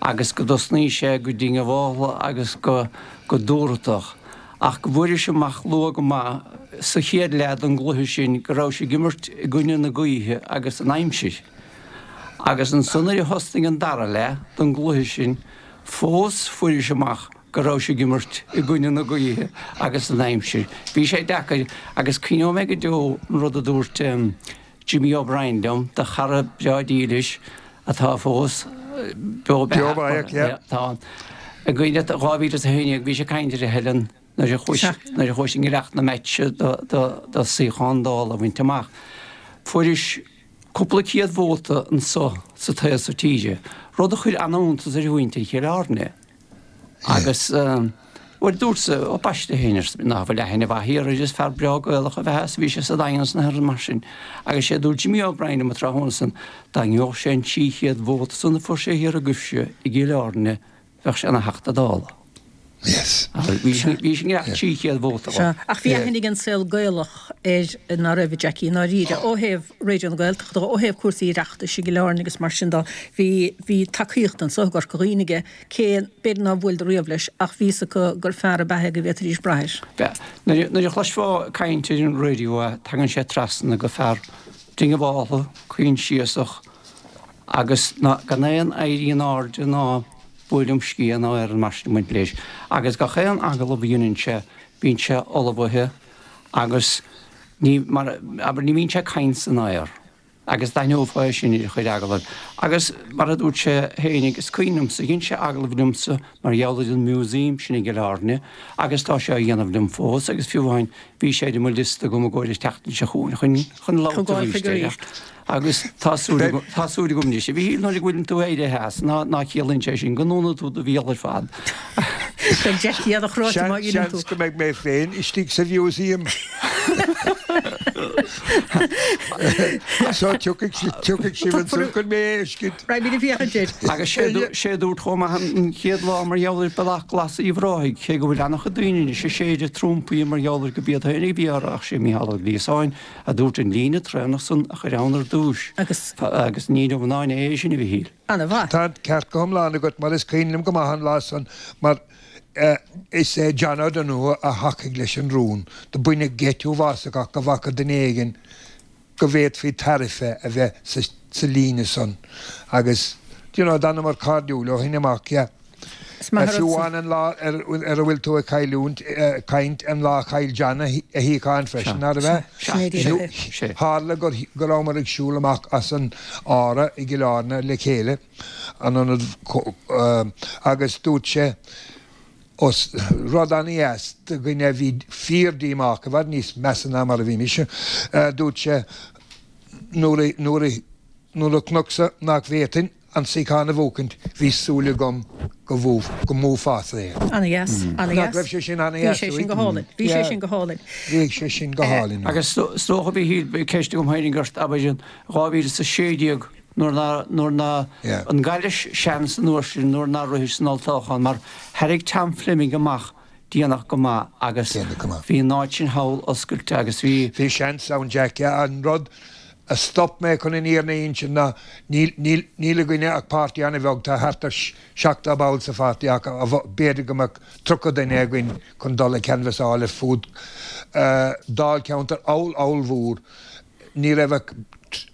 agus go dtosnaís é go diongbhálta agus go go dúthrachtach. Ach go bhfuairis amach luath go maith sa chéad leath den gcluiche sin go raibh sé ag imirt i gcoinne na gaoithe agus an aimsir. Agus ansan nuair a thosnaigh an dara leath den gcluiche sin fós fuairis amach go raibh sé ag imirt i gcoinne na gaoithe agus an aimsir. Bhí sé deacair agus cuimhneoidh mé go deo an rud a dúirt Jimmy O'Brien liom, do chara breá dílis atá fós beo beathach, tá, i gcuimhne 2011 bhí sé ag caint ar a Helen nuair a chuaigh nuair a chuaigh i ngiorracht na meitse do do do suíochán Dála a bhaint amach. Fuairis cúpla céad vóta anso sa taobh so tíre, rud a chuir an-iontas ar mhuintir Chill Airne. Agus, bhuel, dúrtsa, ó baiste féin, arsa ná fuil aithne mhaith thiar air, is fear breá Gaelach ab ea é, is bhí sé sa Daingean is na mar sin. Agus sé a dúirt Jimmy O'Brien liom an tráthnóna san, dá ngeobhadh sé an 300 vóta san a fuair sé thiar agaibhse i gCill Airne, bheadh sé ina Theachta Dála. Yes. Bhí sé i ngiorracht 300 vóta dhó. Sea, ach bhí aithne ag an saol Gaelach air ná raibh, a Jackie, i ndáiríre, ó thaobh Raidió na Gaeltachta, ó thaobh cúrsaí Oireachtais i gCill Airne agus mar sin dó. Bhí, bhí tacaíocht anso i gCorca Dhuibhne aige. Cé, b'fhéidir nár bhuaileadar riamh leis, ach bhí fhios acu gur fear ab ea é go bhféadfaidís brath air. Bhuel, nuair a chloisfeá ag caint ar an raidió é, tagann sé trasna go fear diongbháltha, coinsiasach agus ná, gan aon éirí in airde ná buaileam sciath ná aon rud mar sin ag baint leis. Agus gach aon agallamh a dheineann sé, bíonn sé ullmhaithe agus ní, mar, abair, ní bhíonn sé ag caint san aer. Agus d'aithneofá é sin ar a chuid agallamh. Agus mar a dúirt sé féinig, is cuimhin liomsa, dhein sé agallamh liomsa mar gheall ar an museum sin i gCill Airne agus tá sé á dhéanamh liom fós agus fiú amháin bhí sé ar mo liosta agam i gcomhair an tseachtain seo chugainn chun chun labhairt arís air. Agus tá súil agam, tá súil agam anois, a Mhíchíl, nuair a bhfuileann tú éirithe as, ná ná ciallaíonn sé sin go ndúnann tú do bhéal ar fad. Beidh Jackie an-chráite má dheineann tú. Seans go mbeidh mé féin istigh sa mhúsaem. So tiocfaidh sibh ansan chun mé a fheiscint. Raghaimid ag féachaint air. Agus sé a dúirt chomh maith an chéad lá mar gheall ar Bealach Glas Uíbh Ráthaigh, cé go bhfuil an-chuid daoine anois ag séideadh trumpaí mar gheall ar go b'iad féin a bhí á rá ach sé Mícheál Ó Gliasáin a dúirt an líne traenach san a chur ann ar dtúis. Agus ní inniu ná inné é sin a Mhichíl. Ana-mhaith. Tá an ceart go hiomlán agat mar is cuimhin liom go maith an lá san mar is é John O'Donoghue a thacaigh leis an rún. Do baineadh geit uafásach as go bhfaca duine éigin go bhféadfaí tariff a bheith sa líne san agus do you know d'fhanamar cairdiúil ó shin amach yeah. Is maith an Fiú rud san. amháin an lá ar a bhfuil tú ag cailliúint, caint, an lá a chaill John a shuíochán freisin, nárbh ea? Sin é díreach é. Tharla go rabhamar ag siúl amach as an Ára i gCill Airne le chéile, an ionad, agus dúirt sé, os rud an-dheas do dhuine a bhí fíor-díomách, i bhfad níos measa ná mar a bhí mise, dúirt sé, nuair a, nuair a, nuair a chonacsa nach bhféadfainn, an suíochán a bhuachaint, bhí súil agam go go mbuafása é. Ana-dheas, ana-dheas. Nach raibh sé sin ana-dheas Bhí sé sin go hálainn. Bhí sé sin go hálainn. Bhí sé sin go hálainn. Agus is dócha, a Mhíchíl, ceist agam féinig ort, abair, in 2016 nuair ná, nuair ná, an gcaillis seans an uair sin nuair nár rithis san olltoghchán mar thairrig Tom Fleming amach déanach go maith agus bhí an áit sin thall oscailte agus bhí. Bhí seans ann Jack, yeah. An rud a stop mé chun an fhírinne a insint ná níl, níl, níl againne ach páirtí an-bheag, tá thart ar 70 ball sa pháirtí ach b'fhéidir go mbeadh 30 duine againn chun dul ag canbhasáil ar fud dáilcheantar oll-ollmhór. Ní raibh ach,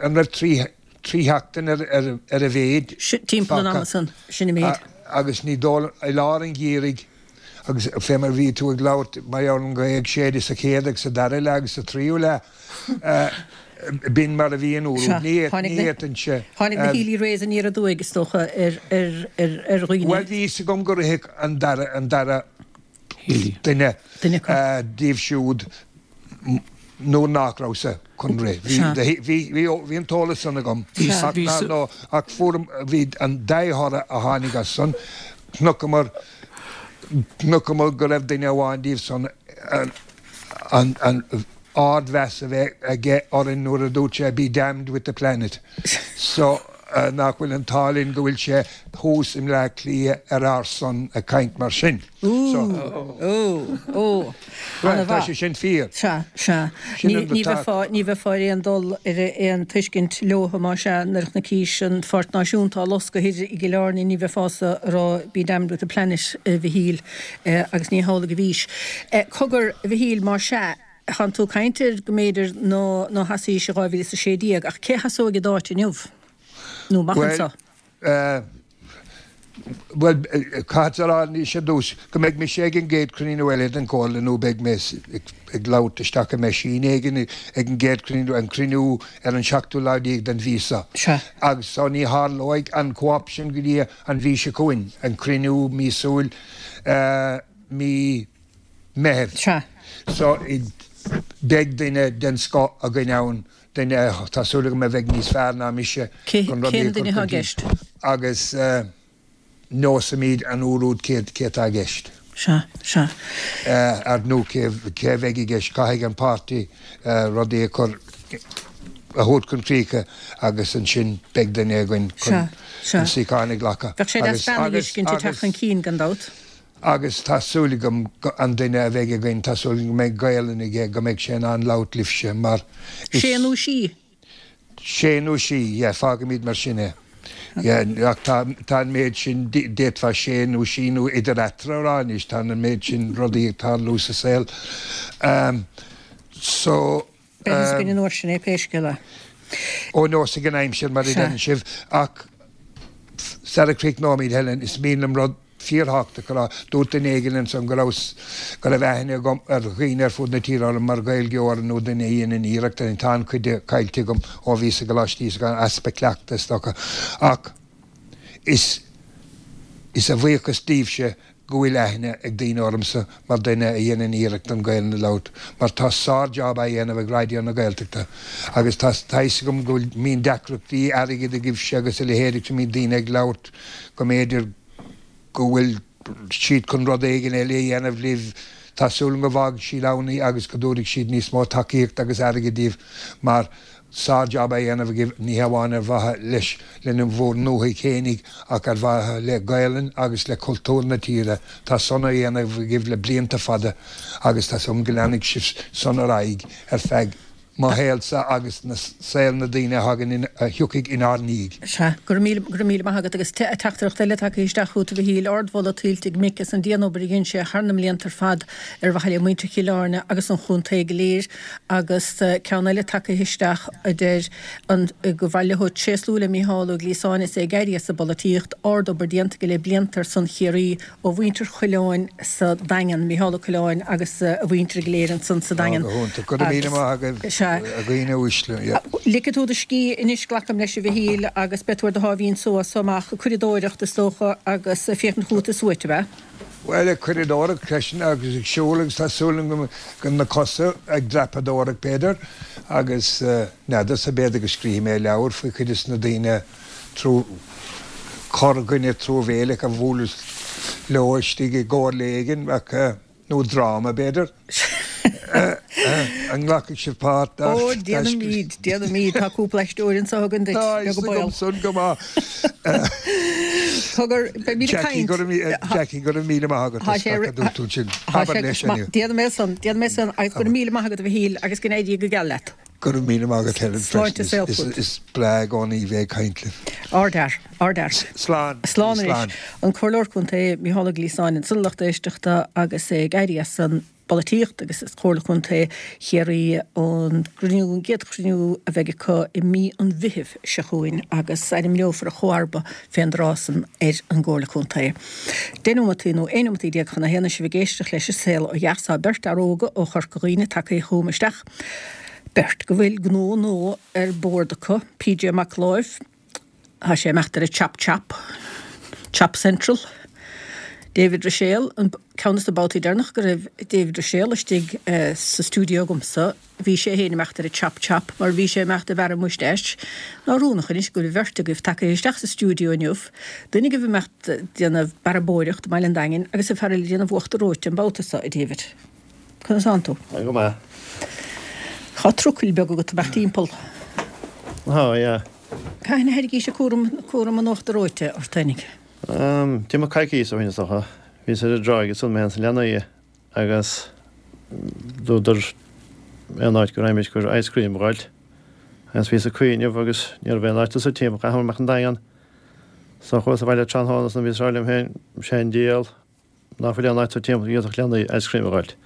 an raibh 3, 3 sheachtain ar, ar, ar a mhéid Timpeall an ama san, sin an méid. Agus ní dóigh, i lár an gheimhridh, Agus fé mar a bhí tú ag labhairt mar gheall ar an ghaoth ag séideadh sa chéad agus sa dara leath agus sa tríú leath, b'in mar a bhí an uair úd. Ní fhéadfainnse. Tháinig na Healy Raes aniar aduaidh, is dócha, ar dhaoine. Bhuel, bhí fhios agam go rithfeadh an dara, an dara duine díobh siúd. nuair nach rabhas-sa chun rith. Bhí an t-eolas san agam ach fuair, bhí an dea-thoradh a tháinig as san, chonaiceamar, chonaiceamar go raibh duine amháin díobh san an ardmheas a bheith aige orainn nuair a dúirt sé be damned with the planet. So. Nach bhfuil an t-ádh linn go bhfuil sé thuas i mBleá Cliath ar ár son ag caint mar sin. Ó, ó, ó. Bhuel, tá sé sin fíor. Sea, sea. Ní bheifeá, ní bheifeá ar aon dul, ar aon tuiscint leo más ea nuair a chonaicis an Pháirc Náisiúnta á loscadh thoir i gCill Airne, ní bheifeása ag rá be damned with the planet, a Mhichíl, agus ní hamhlaidh a bhís. Cogar, a Mhichíl, más ea, Thánn tú ag caint ar go mb'fhéidir ná ná sheasaís i 2016, ach cé a sheasóidh i d'áit inniu? Nó amach anseo? Bhuel, caithfead a rá anois ar dtús go mbeidh mise ag an gcéad chruinniú eile den Chomhairle nó beidh mé ag labhairt isteach i meaisín éigin ag an gcéad chruinniú, an cruinniú ar an seachtú lá déag den mhí seo. Agus so ní tharlóidh an co-option go dtí an mhí seo chugainn, an cruinniú míosúil mí Meitheamh. Sea. So, beidh duine den scoth againn ann, duine, tá súil agam, a bheidh níos fearr ná mise chun rudaí a chur chun cinn. Agus neosfaimid an uair úd cé atá i gceist. Sea, sea. Ar nó cé a bheidh i gceist. Caithfidh an páirtí rudaí a chur, a thabhairt chun críche agus ansin beidh duine againn chun an suíochán a ghlacadh. Bheadh sé deas bean a fheiscint ag teacht chun cinn, gan dabht. Agus tá súil agam go, an duine a bheidh againn, tá súil agam go mbeidh Gaelainn aige, go mbeidh sé in ann labhairt libhse mar is. Sé nó sí. Sé nó sí, yeah, fágfaimid mar sin é. Yeah, ach tá, tá an méid sin, d'fhéadfá sé nó sí nó idir eatarthu a rá anois, tá an méid sin rudaí ag tarlú sa saol. So. Beidh fhios againn an uair sin é pé scéal é. Ó neosfaidh an aimsir mar a deireann sibh ach sara críochnóimid Helen, is mian liom rud fíorthábhachtach a rá. Dúirt duine éigin ansan go raibh go raibh aithne agam ar dhaoine ar fud na tíre orm mar Ghaeilgeoir nó duine a dhéanann iarracht. Tá an-chuid de caillte agam ó bhíos i gColáiste Íosagáin, easpa cleachtaidh is dócha. Ach is is a bhuíochas daoibhse go bhfuil aithne ag daoine ormsa mar duine a dhéanann iarracht an Ghaelainn a labhairt mar tá sár-jab á dhéanamh ag Raidió na Gaeltachta agus tá tá fhios agam go bhfuil mbíonn deacrachtaí airgid agaibhse agus a leithéid agus go mbíonn daoine ag labhairt go mb'fhéidir go bhfuil siad chun rud éigin eile a dhéanamh libh tá súil agam go bhfágfaidh siad ann í agus go dtabharfaidh siad níos mó tacaíocht agus airgid daoibh mar Sár-jab á dhéanamh agaibh, ní hamháin ar mhaithe leis lena bhur ndúthaigh fhéinig ach ar mhaithe le Gaelainn agus le cultúr na tíre. Tá san á dhéanamh agaibh le blianta fada agus tá súil agam go leanfaidh sibh san ar aghaidh ar feadh mo shaolsa agus na saol na daoine a thagann in a thiocfaidh inár ndiaidh. Sea, go raibh míle, go raibh míle maith agat agus teachtaireacht eile tagtha isteach chugat a Mhichíl, ardmholadh tuillte ag Mick as an dianobair a dhein sé thar na mblianta ar fad ar mhaithe le muintir Chill Airne agus an chontae go léir. Agus ceann eile tagtha isteach a deir an gur mhaith leo tréaslú le Mícheál Ó Gliasáin is é ag éirí as an bpolaitíocht, ard-obair déanta aige le blianta ar son Chiarraí ó mhuintir Choileáin sa Daingean, Mícheál Ó Coileáin agus a mhuintir go léir ansan sa Daingean. Go hiontach. Go raibh míle maith agaibh, a dhaoine uaisle. Yeah. Ligfidh tú do scíth anois, glacaim leis, a Mhichíl, agus beidh tú ar do sháimhín só as so amach, ag curadóireacht is dócha agus ag féachaint chugat is uait, ab ea? Bhuel, ag curadóireacht freisin agus ag siúl agus tá súil agam go na cosa ag dreapadóireacht b'fhéidir agus n'fheadar sea b'fhéidir go scríobfaidh mé leabhar faoi chuid de na daoine trú corrdhuine truamhéileach a bhuaileas leo istigh i gcomhairle éigin ach nó dráma b'fhéidir. An nglacfaidh sibh páirt? Ó, déanfaimid, déanfaimid. Tá cúpla aisteoir anseo againn duit, Tá beag an baol. san go maith. Cogar, beimid ag caint. Jackie, go raibh míle maith agat as gach a dúirt tú ansin. Abair leis inniu. Déanfaidh mé san, déanfaidh mé san agus go raibh míle maith agat a Mhichíl agus go n-éirí go geal leat. Go raibh míle maith agat Helen Sláinte is saol fút. Is breá i gcónaí bheith ag caint libh. Ardfhear, ardfhear. Slán. Slán anois. An Comhairleoir Contae Mícheál Ó Gliasáin ansan a lucht éisteachta agus é ag éirí as an bpolaitíocht agus as Comhairle Contae Chiarraí ón gcruinniú, an gcéad chruinniú a bheidh acu i mí an Mheithimh seo chugainn agus ainmneofar a chomharba fén dtráth san ar an gComhairle Contae. Deich nóimeataí nó 11 nóimeataí chun a haon is sibh ag éisteacht leis an Saol Ó Dheas. Tá beirt fhear óga ó Chorca Dhuibhne tagtha chugam isteach. Beirt go bhfuil gnó nua ar bord acu, PJ Mac Láimh, tá sé ag imeacht ar an Chop Chop, Chop Central, David Ruiséal, an ceann de na babhtaí deireanach go raibh David Ruiséal istigh sa stiúideo agamsa, bhí sé féin ag imeacht ar an Chop Chop mar bhí sé ag imeacht ag bearradh moustache. Nach ionadh anois go bhfuil beirt agaibh tagtha isteach sa stiúideo inniu, duine agaibh ag imeacht ag déanamh bearbóireacht i mBaile an Daingin agus an fear eile ag déanamh uachtar reoite an babhta seo, a David. Conas tánn tú? Tá go maith. Tá trucail beag agat ag imeacht timpeall. Tá, yeah. Cathain a thairgís cúram, cúram an uachtar reoite ort fhéinig? D'imigh coicíos ó shin is dócha. Bhíos ar an dtráigh ansan mé féin 's na leanaí agus dúradar aon áit go raghaimid gur ice cream a dh'fháilt agus bhíos ag cuimhneamh agus ní raibh aon áit anso timpeall chaithfear imeacht an Daingean. So chuas abhaile tráthnóna ansan bhíos ag rá liom féin sé an diabhal ná fuil aon áit anso timpeall go bhféadfadh leanaí ice cream a dh'fháilt.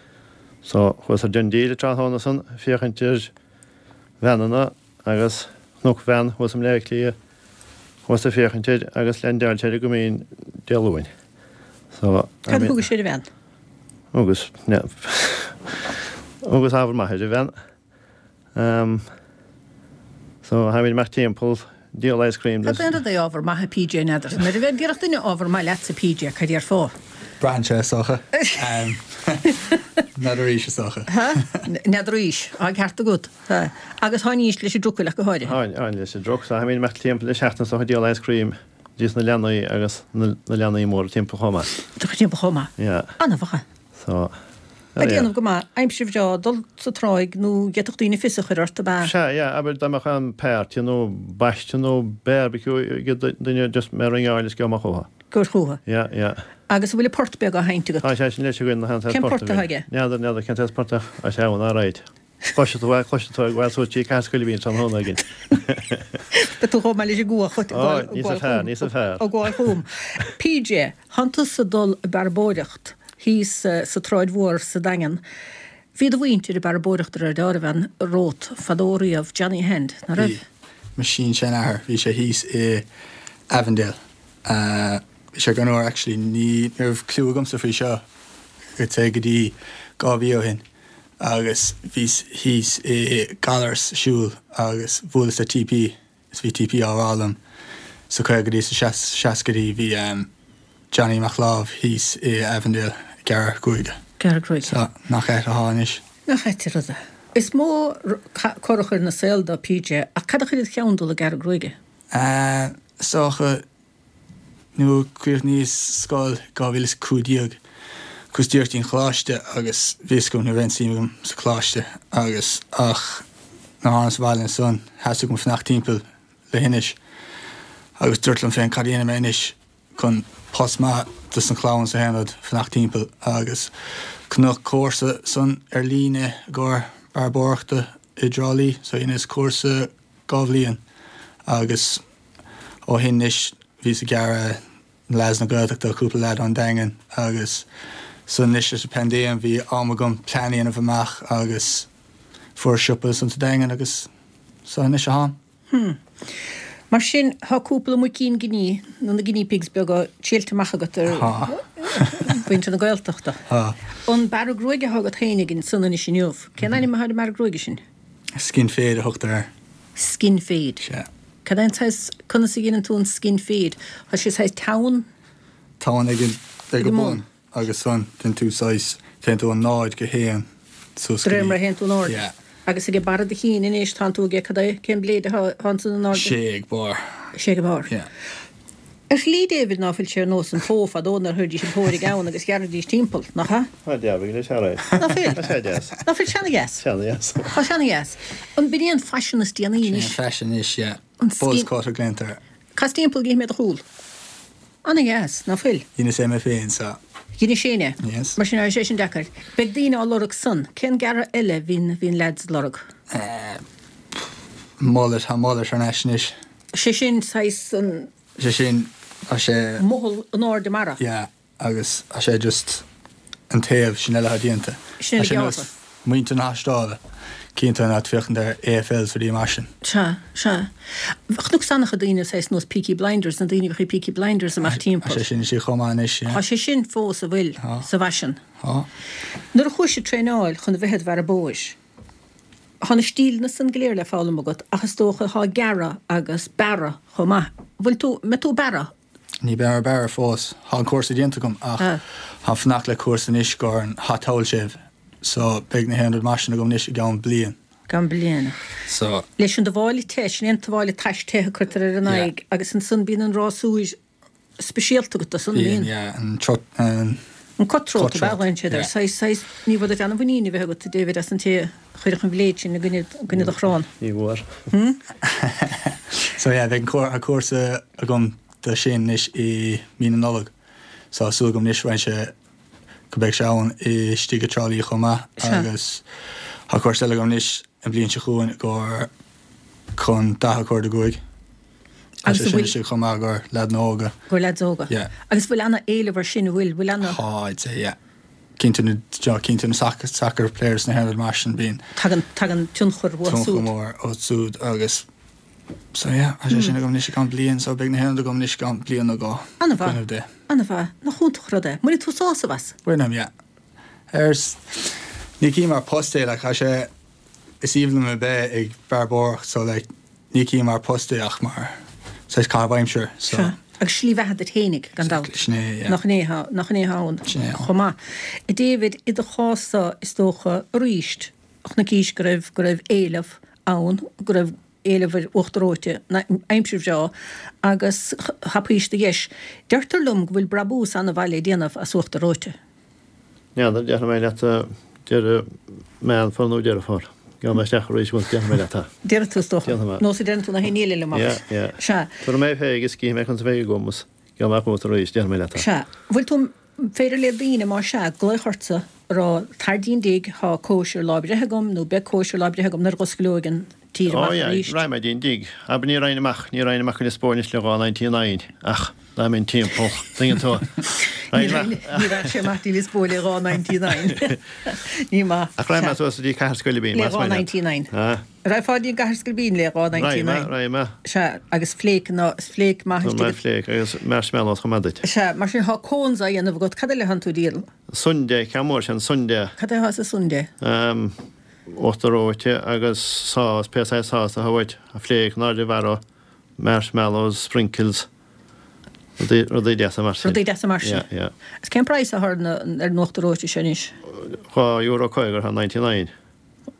So chuas ar DoneDeal tráthnóna ansan féachaint ar veaineanna agus chonac veain thuas i mBleá Cliath chuas ag féachaint air agus leaindeáil sé ar an gCoimín Dé Luain. So Cad a thugais ar an veain? Thugas, thugas ábhar maith ar an veain. So tháimid amach timpeall, díol ice cream. Cad é an rud é ábhar maith a PJ n'fheadar. Nuair a bheith déarfadh duine ábhar maith leatsa PJ, cad déarfá? Braitheann sé is dócha. N'fheadar aois is dócha. N'fheadar aois. Tá an ceart agat. Agus tháinís leis an dtrucail ach go háirithe. Tháin leis an dtruc. So tháimid amach timpeall le seachtain is dócha ag díol ice cream dos na leanaí agus na leanaí móra timpeall chomh maith. Timpeall chomh maith. Yeah. An-mhaith. So, Ag déanamh go maith, aimsir bhreá, dul sa tráigh nó d'fhéadfadh daoine fios a chur ort, ab ea? Sea, yeah, abair dá mbeadh aon party nó baisteadh nó barbecue ag duine just mé a ringeáil is gabh amach chucu. Gabh chucu. Yeah, yeah. Agus an bhfuil an port beag á sheinnt agat? Tá sé sin leis againn, na Cén port atá aige? N'fheadar, n'fheadar cén saghas port ach tá sé ann, alright. Cloisfidh tú é, cloisfidh tú é ag gabháil suas trí Cathair Scoilbín tráthnóna éigin. Beidh tú chomh maith leis an gcuach ag gabháil níosa fearr. Ag gabháil chugam. PJ, Thánn tusa ag dul ag bearbóireacht thíos sa tSráid Mhór sa Daingean. Bhí do mhuintir ag bearbóireacht ar an bhean romhat fadó riamh, Johnny Hand, ná raibh? Bhí. Mo sin-seanathair, bhí sé thíos i Avondale. Bhí sé go n-uair actually, ní raibh clue agamsa faoi seo, I'd say go dtí 2 mhí ó shin. agus bhíos thíos i Gallar's ag siúl agus bhuaileas le TP is bhí TP á rá liom sa caogaidí sa seascaidí bhí Johnny Mac Láimh thíos i Avondale ag gearradh gruaige. Gearradh gruaige. So nach ait atá anois. Nach ait an rud é. Is mó cor a chuir ina saol do PJ ach cad a chuir id cheann dul ag gearradh gruaige? Is dócha Nuair a chríochnaíos scoil 2015 chuas díreach dtí'n choláiste agus bhí fhios agam ní raibh aon suim agam sa choláiste agus ach nuair a thánas abhaile ansan theastaigh uaim fanacht timpeall leithinis agus dúirt liom féin cad a dhéanfaidh mé anois chun post maith dos an chlann is aon rud fanacht timpeall agus chonac cúrsa san ar líne i gcomhair bearbóireachta i dTrá Lí so dheineas cúrsa 2 bhliain agus ó shin anois bhíos ag gearradh na leaids na Gaeltachta, cúpla leaid ón Daingean agus so anois leis an paindéim bhí am agam plean a dhéanamh amach agus fuair siopa ansan sa Daingean agus so anois atáim. Hmm. Mar sin tá cúpla muicín giní nó na guinea pigs beaga triailte amach agat ar mhuintir na Gaeltachta. Tá. An bearradh gruaige atá agat féinig ansan anois inniu, cén ainm atá ar an mbearradh gruaige sin? Skin fade a thugtar air. Skin fade. Sea. Cad é an saghas, conas a dheineann tú an skin fade? Tá sé saghas teann? Teann ag an, ag an bun agus ansan déanann tú saghas, téann tú ó 0 go 1 suas go dtí. De réir mar a théann tú in airde. Yeah. Agus ag barra do chinn anois tánn tú ag, cad é, cén bléid atá, atá ansan in airde? Sé ag barr. Sé ag barr. Yeah. Ar shlí, David, ná fuil sé ar nós an pó fadó nuair a chuiridís an pó ar an gceann agus ghearraidís timpeall, nach ea? Tá dearg leis, alright. Ná fuil? Tá sé deas. Ná fuil sé ana-dheas? Sé ana-dheas. Tá sé ana-dheas. An b'in é an faisean is déanaí anois? Sin é an faisean anois, yeah. An skin. Buzz cut a glaontar air. Cas timpeall go gcífidh mé do chúl. Ana-dheas, ná fuil? Dheineas é mé féin, so. Dheinis féin é? Yes. Mar sin, tá sé sin deacair. Beidh daoine á lorg san. Cén gearradh eile a bhíonn, bhíonn leaids ag lorg? Eh, mullet, tá mullet thar n-ais anois. Sé sin saghas an. Sé sin, tá sé. Mothall in airde mara. Yeah, agus tá sé just an taobh sin eile atá déanta. Sin Tá sé nós muintir na hAstráile, cinnte an áit féachaint ar AFL is rudaí mar sin. Sea, sea. Chonac an-chuid daoine saghas nós Peaky Blinders, na daoine a bhíodh Peaky Blinders amach timpeall. Tá sé sin istigh chomh maith anois, yeah. Tá sé sin fós, an bhfuil, sa bhfaisean. Tá. Nuair a chuais ag traenáil chun a bheith id bhearbóir, Thá na stíleanna san go léir le foghlaim agat ach is dócha thá gearradh agus bearradh chomh maith. Bhfuil tú, mbeidh tú ag bearradh? Ní beidh mé ag bearradh fós. Thá an cúrsa déanta agam ach táim fanacht le cúrsa anois gcomhair an hot towel shave so beidh na haon rud mar sin agam anois i gceann bliain. Gceann bliana. So. Leis an dtabháile te, sin é an tabháile tais te a cuirtear ar an aghaidh agus ansan bíonn an rásúr speisialta agat do san, bíonn. Yeah, an trot, an. An cutthroat ab ea a ghlaonn siad air. Saghas, saghas, ní bhfuair duit an-mhuinín a bheith agat, a David, as an té a chuirfeadh an bhléid sin i gcoinne, i gcoinne do chrann. Ní bhfuair. So yeah, beidh an cúrsa agam do sin anois i mí na Nollag. So tá súil agam anois roinnt sé go mbeidh sé ann istigh i dTrá Lí chomh maith agus tá cúrsa eile agam anois an bhliain seo chugainn i gcomhair chun 45. Tá sé sin istigh chomh maith i gcomhair leaideanna óga. I gcomhair leaids óga. Yeah. Agus bhfuil ana-éileamh ar sin, an bhfuil? Bhfuil ana. Tá, I'd say, yeah. Cinnte na, cinnte na soccer, soccer players na haon rud mar sin bíonn. Tagann, tagann tionchar uathu súd. Tionchar mór ó súd agus So yeah, tá sé sin agam anois i gceann bliain, so beidh na haon rud agam anois i gceann bliain nó dhó. An-mhaith. Cuimhneamh Dé. An-mhaith. Nach iontach rud é. Mbainfidh tú sásamh as? Bainim, yeah. Ar, ní cím mar post é, like, tá sé, is aoibhinn liom a bheith ag bearbóireacht, so like, ní cím mar post é ach mar saghas caitheamh aimsire, so. Sea. Agus slí bheatha duit fhéinig, gan dabht. Exactly, sin é, yeah. Nach in é atá, nach in é atá ann Sin é. chomh maith. A David, i do chás-sa, is dócha, arís, chonaicís go raibh, go raibh éileamh ann, go raibh éileamh ar uachtar reoite, aimsir bhreá, agus thapaís do dheis. Deirtear liom go bhfuil brabús an-mhaith le déanamh as uachtar reoite. N'fheadar, déarfaidh mé leat deireadh Meán Fómhair nó Deireadh Fómhair. Gabhfaidh mé isteach arís once déarfaidh mé leat é. Déarfaidh tú is dócha. Déarfaidh mé. Nós a deireann tú na haon ní eile liom ach. Yeah, yeah. Sea. Tabharfaidh mé fé agus cífidh mé conas a bheidh agam is gabhfaidh mé chugat arís, déarfaidh mé leat é. Sea. Bhfuil tú féidir le daoine, más ea, glaoch ortsa a rá, tar dtí'n dtigh, tá cóisir lá breithe agam nó beidh cóisir lá breithe agam nuair a dh'osclóidh an tír Ó amach yeah, arís. raghaidh mé dtí'n dtigh. Abair ní raghainn amach, ní raghainn amach go Lios Póil anois le dhá 99 ach dá mbeinn timpeall, tuigeann tú. Ní raghainn, ní raghadh sé amach dtí Lios Póil le dhá 99. Ní maith. Ach raghaidh mé suas go dtí Cathair Scoilbín, Le más dhá maith leat. 99. Ah. Raghfá dtí an gCathair Scoilbín le dhá Raghaidh mé, 99. raghaidh mé. Sea, agus fléic ná, is fléic maith Tá istigh. mé fléic agus marshmallows chomh maith duit. Sea, mar sin thá cones á dhéanamh agat, cad eile thánn tú a dhíol? Sundae, ceann mór sin, sundae. Cad é thá sa sundae? Ehm, uachtar reoite agus sás, pé saghas sás atá uait, fléic, náide mharbh, marshmallows, sprinkles, rudaí, rudaí deasa mar sin. Rudaí deasa mar sin. Yeah, yeah. Is cén praghas athá ar na, ar an uachtar reoite seo anois? €2.50 thar 99.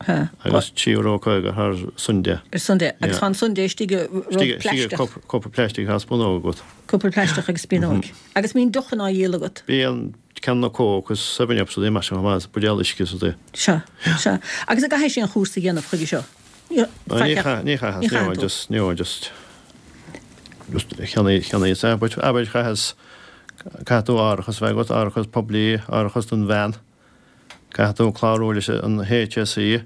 Agus €3.50 thar sundae. Ar sundae. Agus tá an sundae istigh i rud plaisteach. Cupa plaisteach tá spúnóg agat. Cupa plaisteach agus spúnóg. Agus mbíonn deochanna á dhíol agat? Bíonn canna Coke agus Seven Ups rudaí mar sin chomh maith, buidéal uisce is rudaí. Sea, sea. Agus an gcaithfidh sé aon chúrsa a dhéanamh chuige seo? Ní chaithfeas, no, just, no, just, just cheannaigh, cheannaíos é, but abair chaitheas, caithfidh tú árachas a bheith agat, árachas poiblí, árachas don veain. Caithfidh tú clárú leis an HSE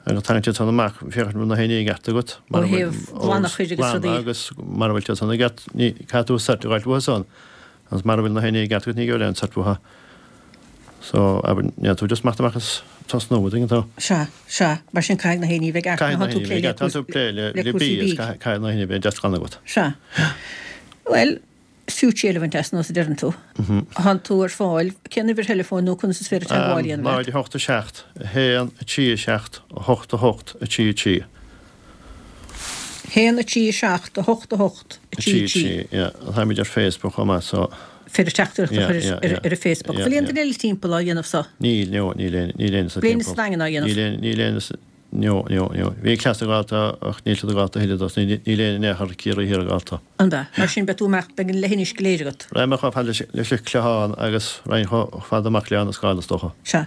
agus tagann siad san amach féachaint an bhfuil na haon ní i gceart agat. Ó thaobh glanachais agus rudaí. Agus mara bhfuil siad san i gceart, caithfidh tú cert a fháilt uathu san. Agus mara bhfuil na haon ní i gceart agat ní gheobhair aon cert uathu. So, abair, ní tú just imeacht amach is tosnú, an dtuigeann tú? Sea, sea. Mar sin caithfidh na haon ní bheith i gceart. Caithfidh na haon ní bheith i gceart. Tá tú ag plé le cúrsaí bídh. Caithfidh na haon ní bheith deas glan agat. Sea. Bhuel, Is fiú triail a bhaint as, nós a deireann tú. Thánn tú ar fáil. Cén uimhir theileafóin nó conas is féidir teagmháil a dhéanamh leat? 0 8 7 1 3 7 8 8 3 3. 1 3 7 8 8 3 3. Yeah. Táimid ar Facebook chomh maith so. Féidir teachtaireacht a chur ar an Facebook. Bhfuil aon duine eile timpeall á dhéanamh so? Níl, no, níl aon, níl éinne sa timpeall. Bhfuil éinne sa Daingean á dhéanamh? Níl aon, níl éinne sa. No, no, no. Bhí cleas ag gabháil ach níl siad ag gabháil a thuilleadh dos. Níl éinne in aon chor Ciarraí Thiar ag gabháil. An ea? Mar sin beidh tú amach, beidh an leithinis go léir agat. Raghaidh mé chomh fada leis an Chlochán agus raghainn chomh fada amach le Abhainn an Scáil is dócha. Sea.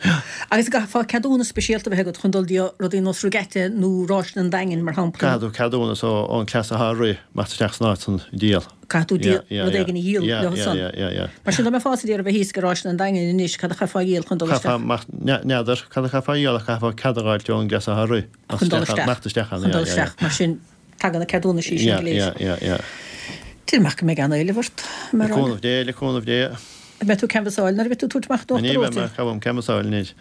Agus an gcaithfeá ceadúnas speisialta a bheith agat chun dul dtí rudaí nós Regatta nó Ráiseanna an Daingin, mar shampla? Caithfidh tú ceadúnas ón cleas atá ag rith imeacht isteach san áit san ag díol. Caithfidh tú díol, rud éigin a dhíol leo san. Mar sin dá mbeifeá ag iarraidh a bheith thíos ag Ráiseanna an Daingin anois, cad a chaithfeá a dhíol chun dul isteach? Chaithfeá, n'fheadar, cad a chaithfeá a dhíol ach chaithfeá cead a dh'fháilt ón gcleas atá ag rith. Chun dul isteach. Imeacht isteach ann, Chun dul isteach. Mar sin, tagann na ceadúnaisí sin go léir. Yeah, yeah, yeah. Déarfainn amach go mbeidh an-éileamh ort, mar. Le cúnamh Dé, le cúnamh Dé. An mbeidh tú ag canbhasáil nuair a bheidh tú ag tabhairt amach d'uachtar reoite? Ní bheidh mé ag canbhasáil anois.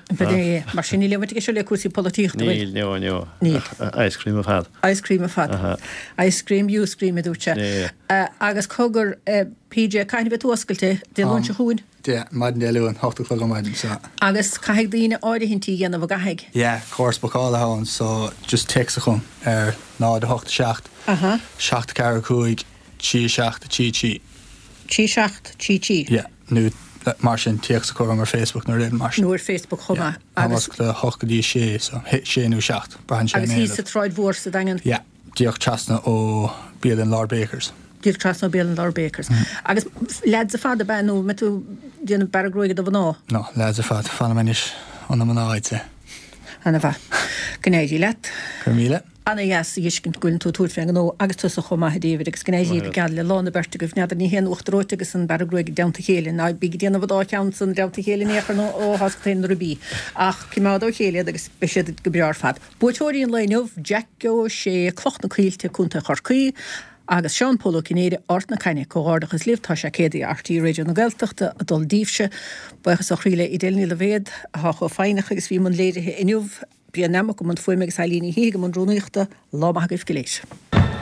Mar sin níl aon bhaint aige seo le cúrsaí polaitíochta, bhfuil? Níl, no, no. Níl. Ice cream ar fad. Ice cream ar fad. Ice cream, you scream, a dúirt sé. Agus cogar, PJ, cathain a bheidh tú oscailte? Dé Luain seo chugainn? Yeah, maidin Dé Luain, 8 a chlog ar maidin, so. Agus caithfidh daoine áirithintí a dhéanamh, an gcaithfidh? Yeah, córas bookála atá ann, so just téacs chugam ar 0 8 7 7 4 5 3 7 3 3. 3 7 3 3. Yeah, nó mar sin, téacs a chur orm ar Facebook nó rud éigin mar sin. Nó ar Facebook chomh maith. Yeah, táim oscailte 8 go dtí 6, so 6 nó 7, braitheann sé ar Agus an thíos éileamh. sa tSráid Mhór sa Daingean? Yeah, díreach trasna ó bialann Lord Bakers. Díreach trasna ó bialann Lord Bakers. Agus leaids ar fad ab ea nó an mbeidh tú ag déanamh bearradh gruaige do mhná? No, leaids ar fad, fanaim anois ó na mná, I'd say. Ana mhaith. Go n-éirí leat. Go raibh míle. Ana dheas a fheiscint go bhfuileann tú ag tabhairt fén ngnó agus tusa chomh maith a David agus go n-éirí go geal le lá na beirte agaibh. N'fheadar ní hé an uachtar reoite agus an bearradh gruaige i dteannta a chéile. Ná bíg ag déanamh an dá cheann san i dteannta a chéile in aon chor nó ó thá 's go na ribí. Ach coimeád ó chéile iad agus beidh siad go breá ar fad. Buaiteoirí an lae inniu, Jack Ó Sé, Cloch na Coillte, Co. Chorcaí, agus Seán Pól Ó Cinnéide, Ard na Caithne. Comhghairdeachas libh, tá sé céadaí RTÉ Raidió na Gaeltachta ag dul díbhse. Buíochas ó chroí le Edel Ní Loibhéad, atá chomh foighneach agus a bhí i mbun léirithe inniu. Brian Nammock i mbun fuaime agus Eilín Ní Shíthigh i mbun rúnaíochta. Lá maith agaibh go léir.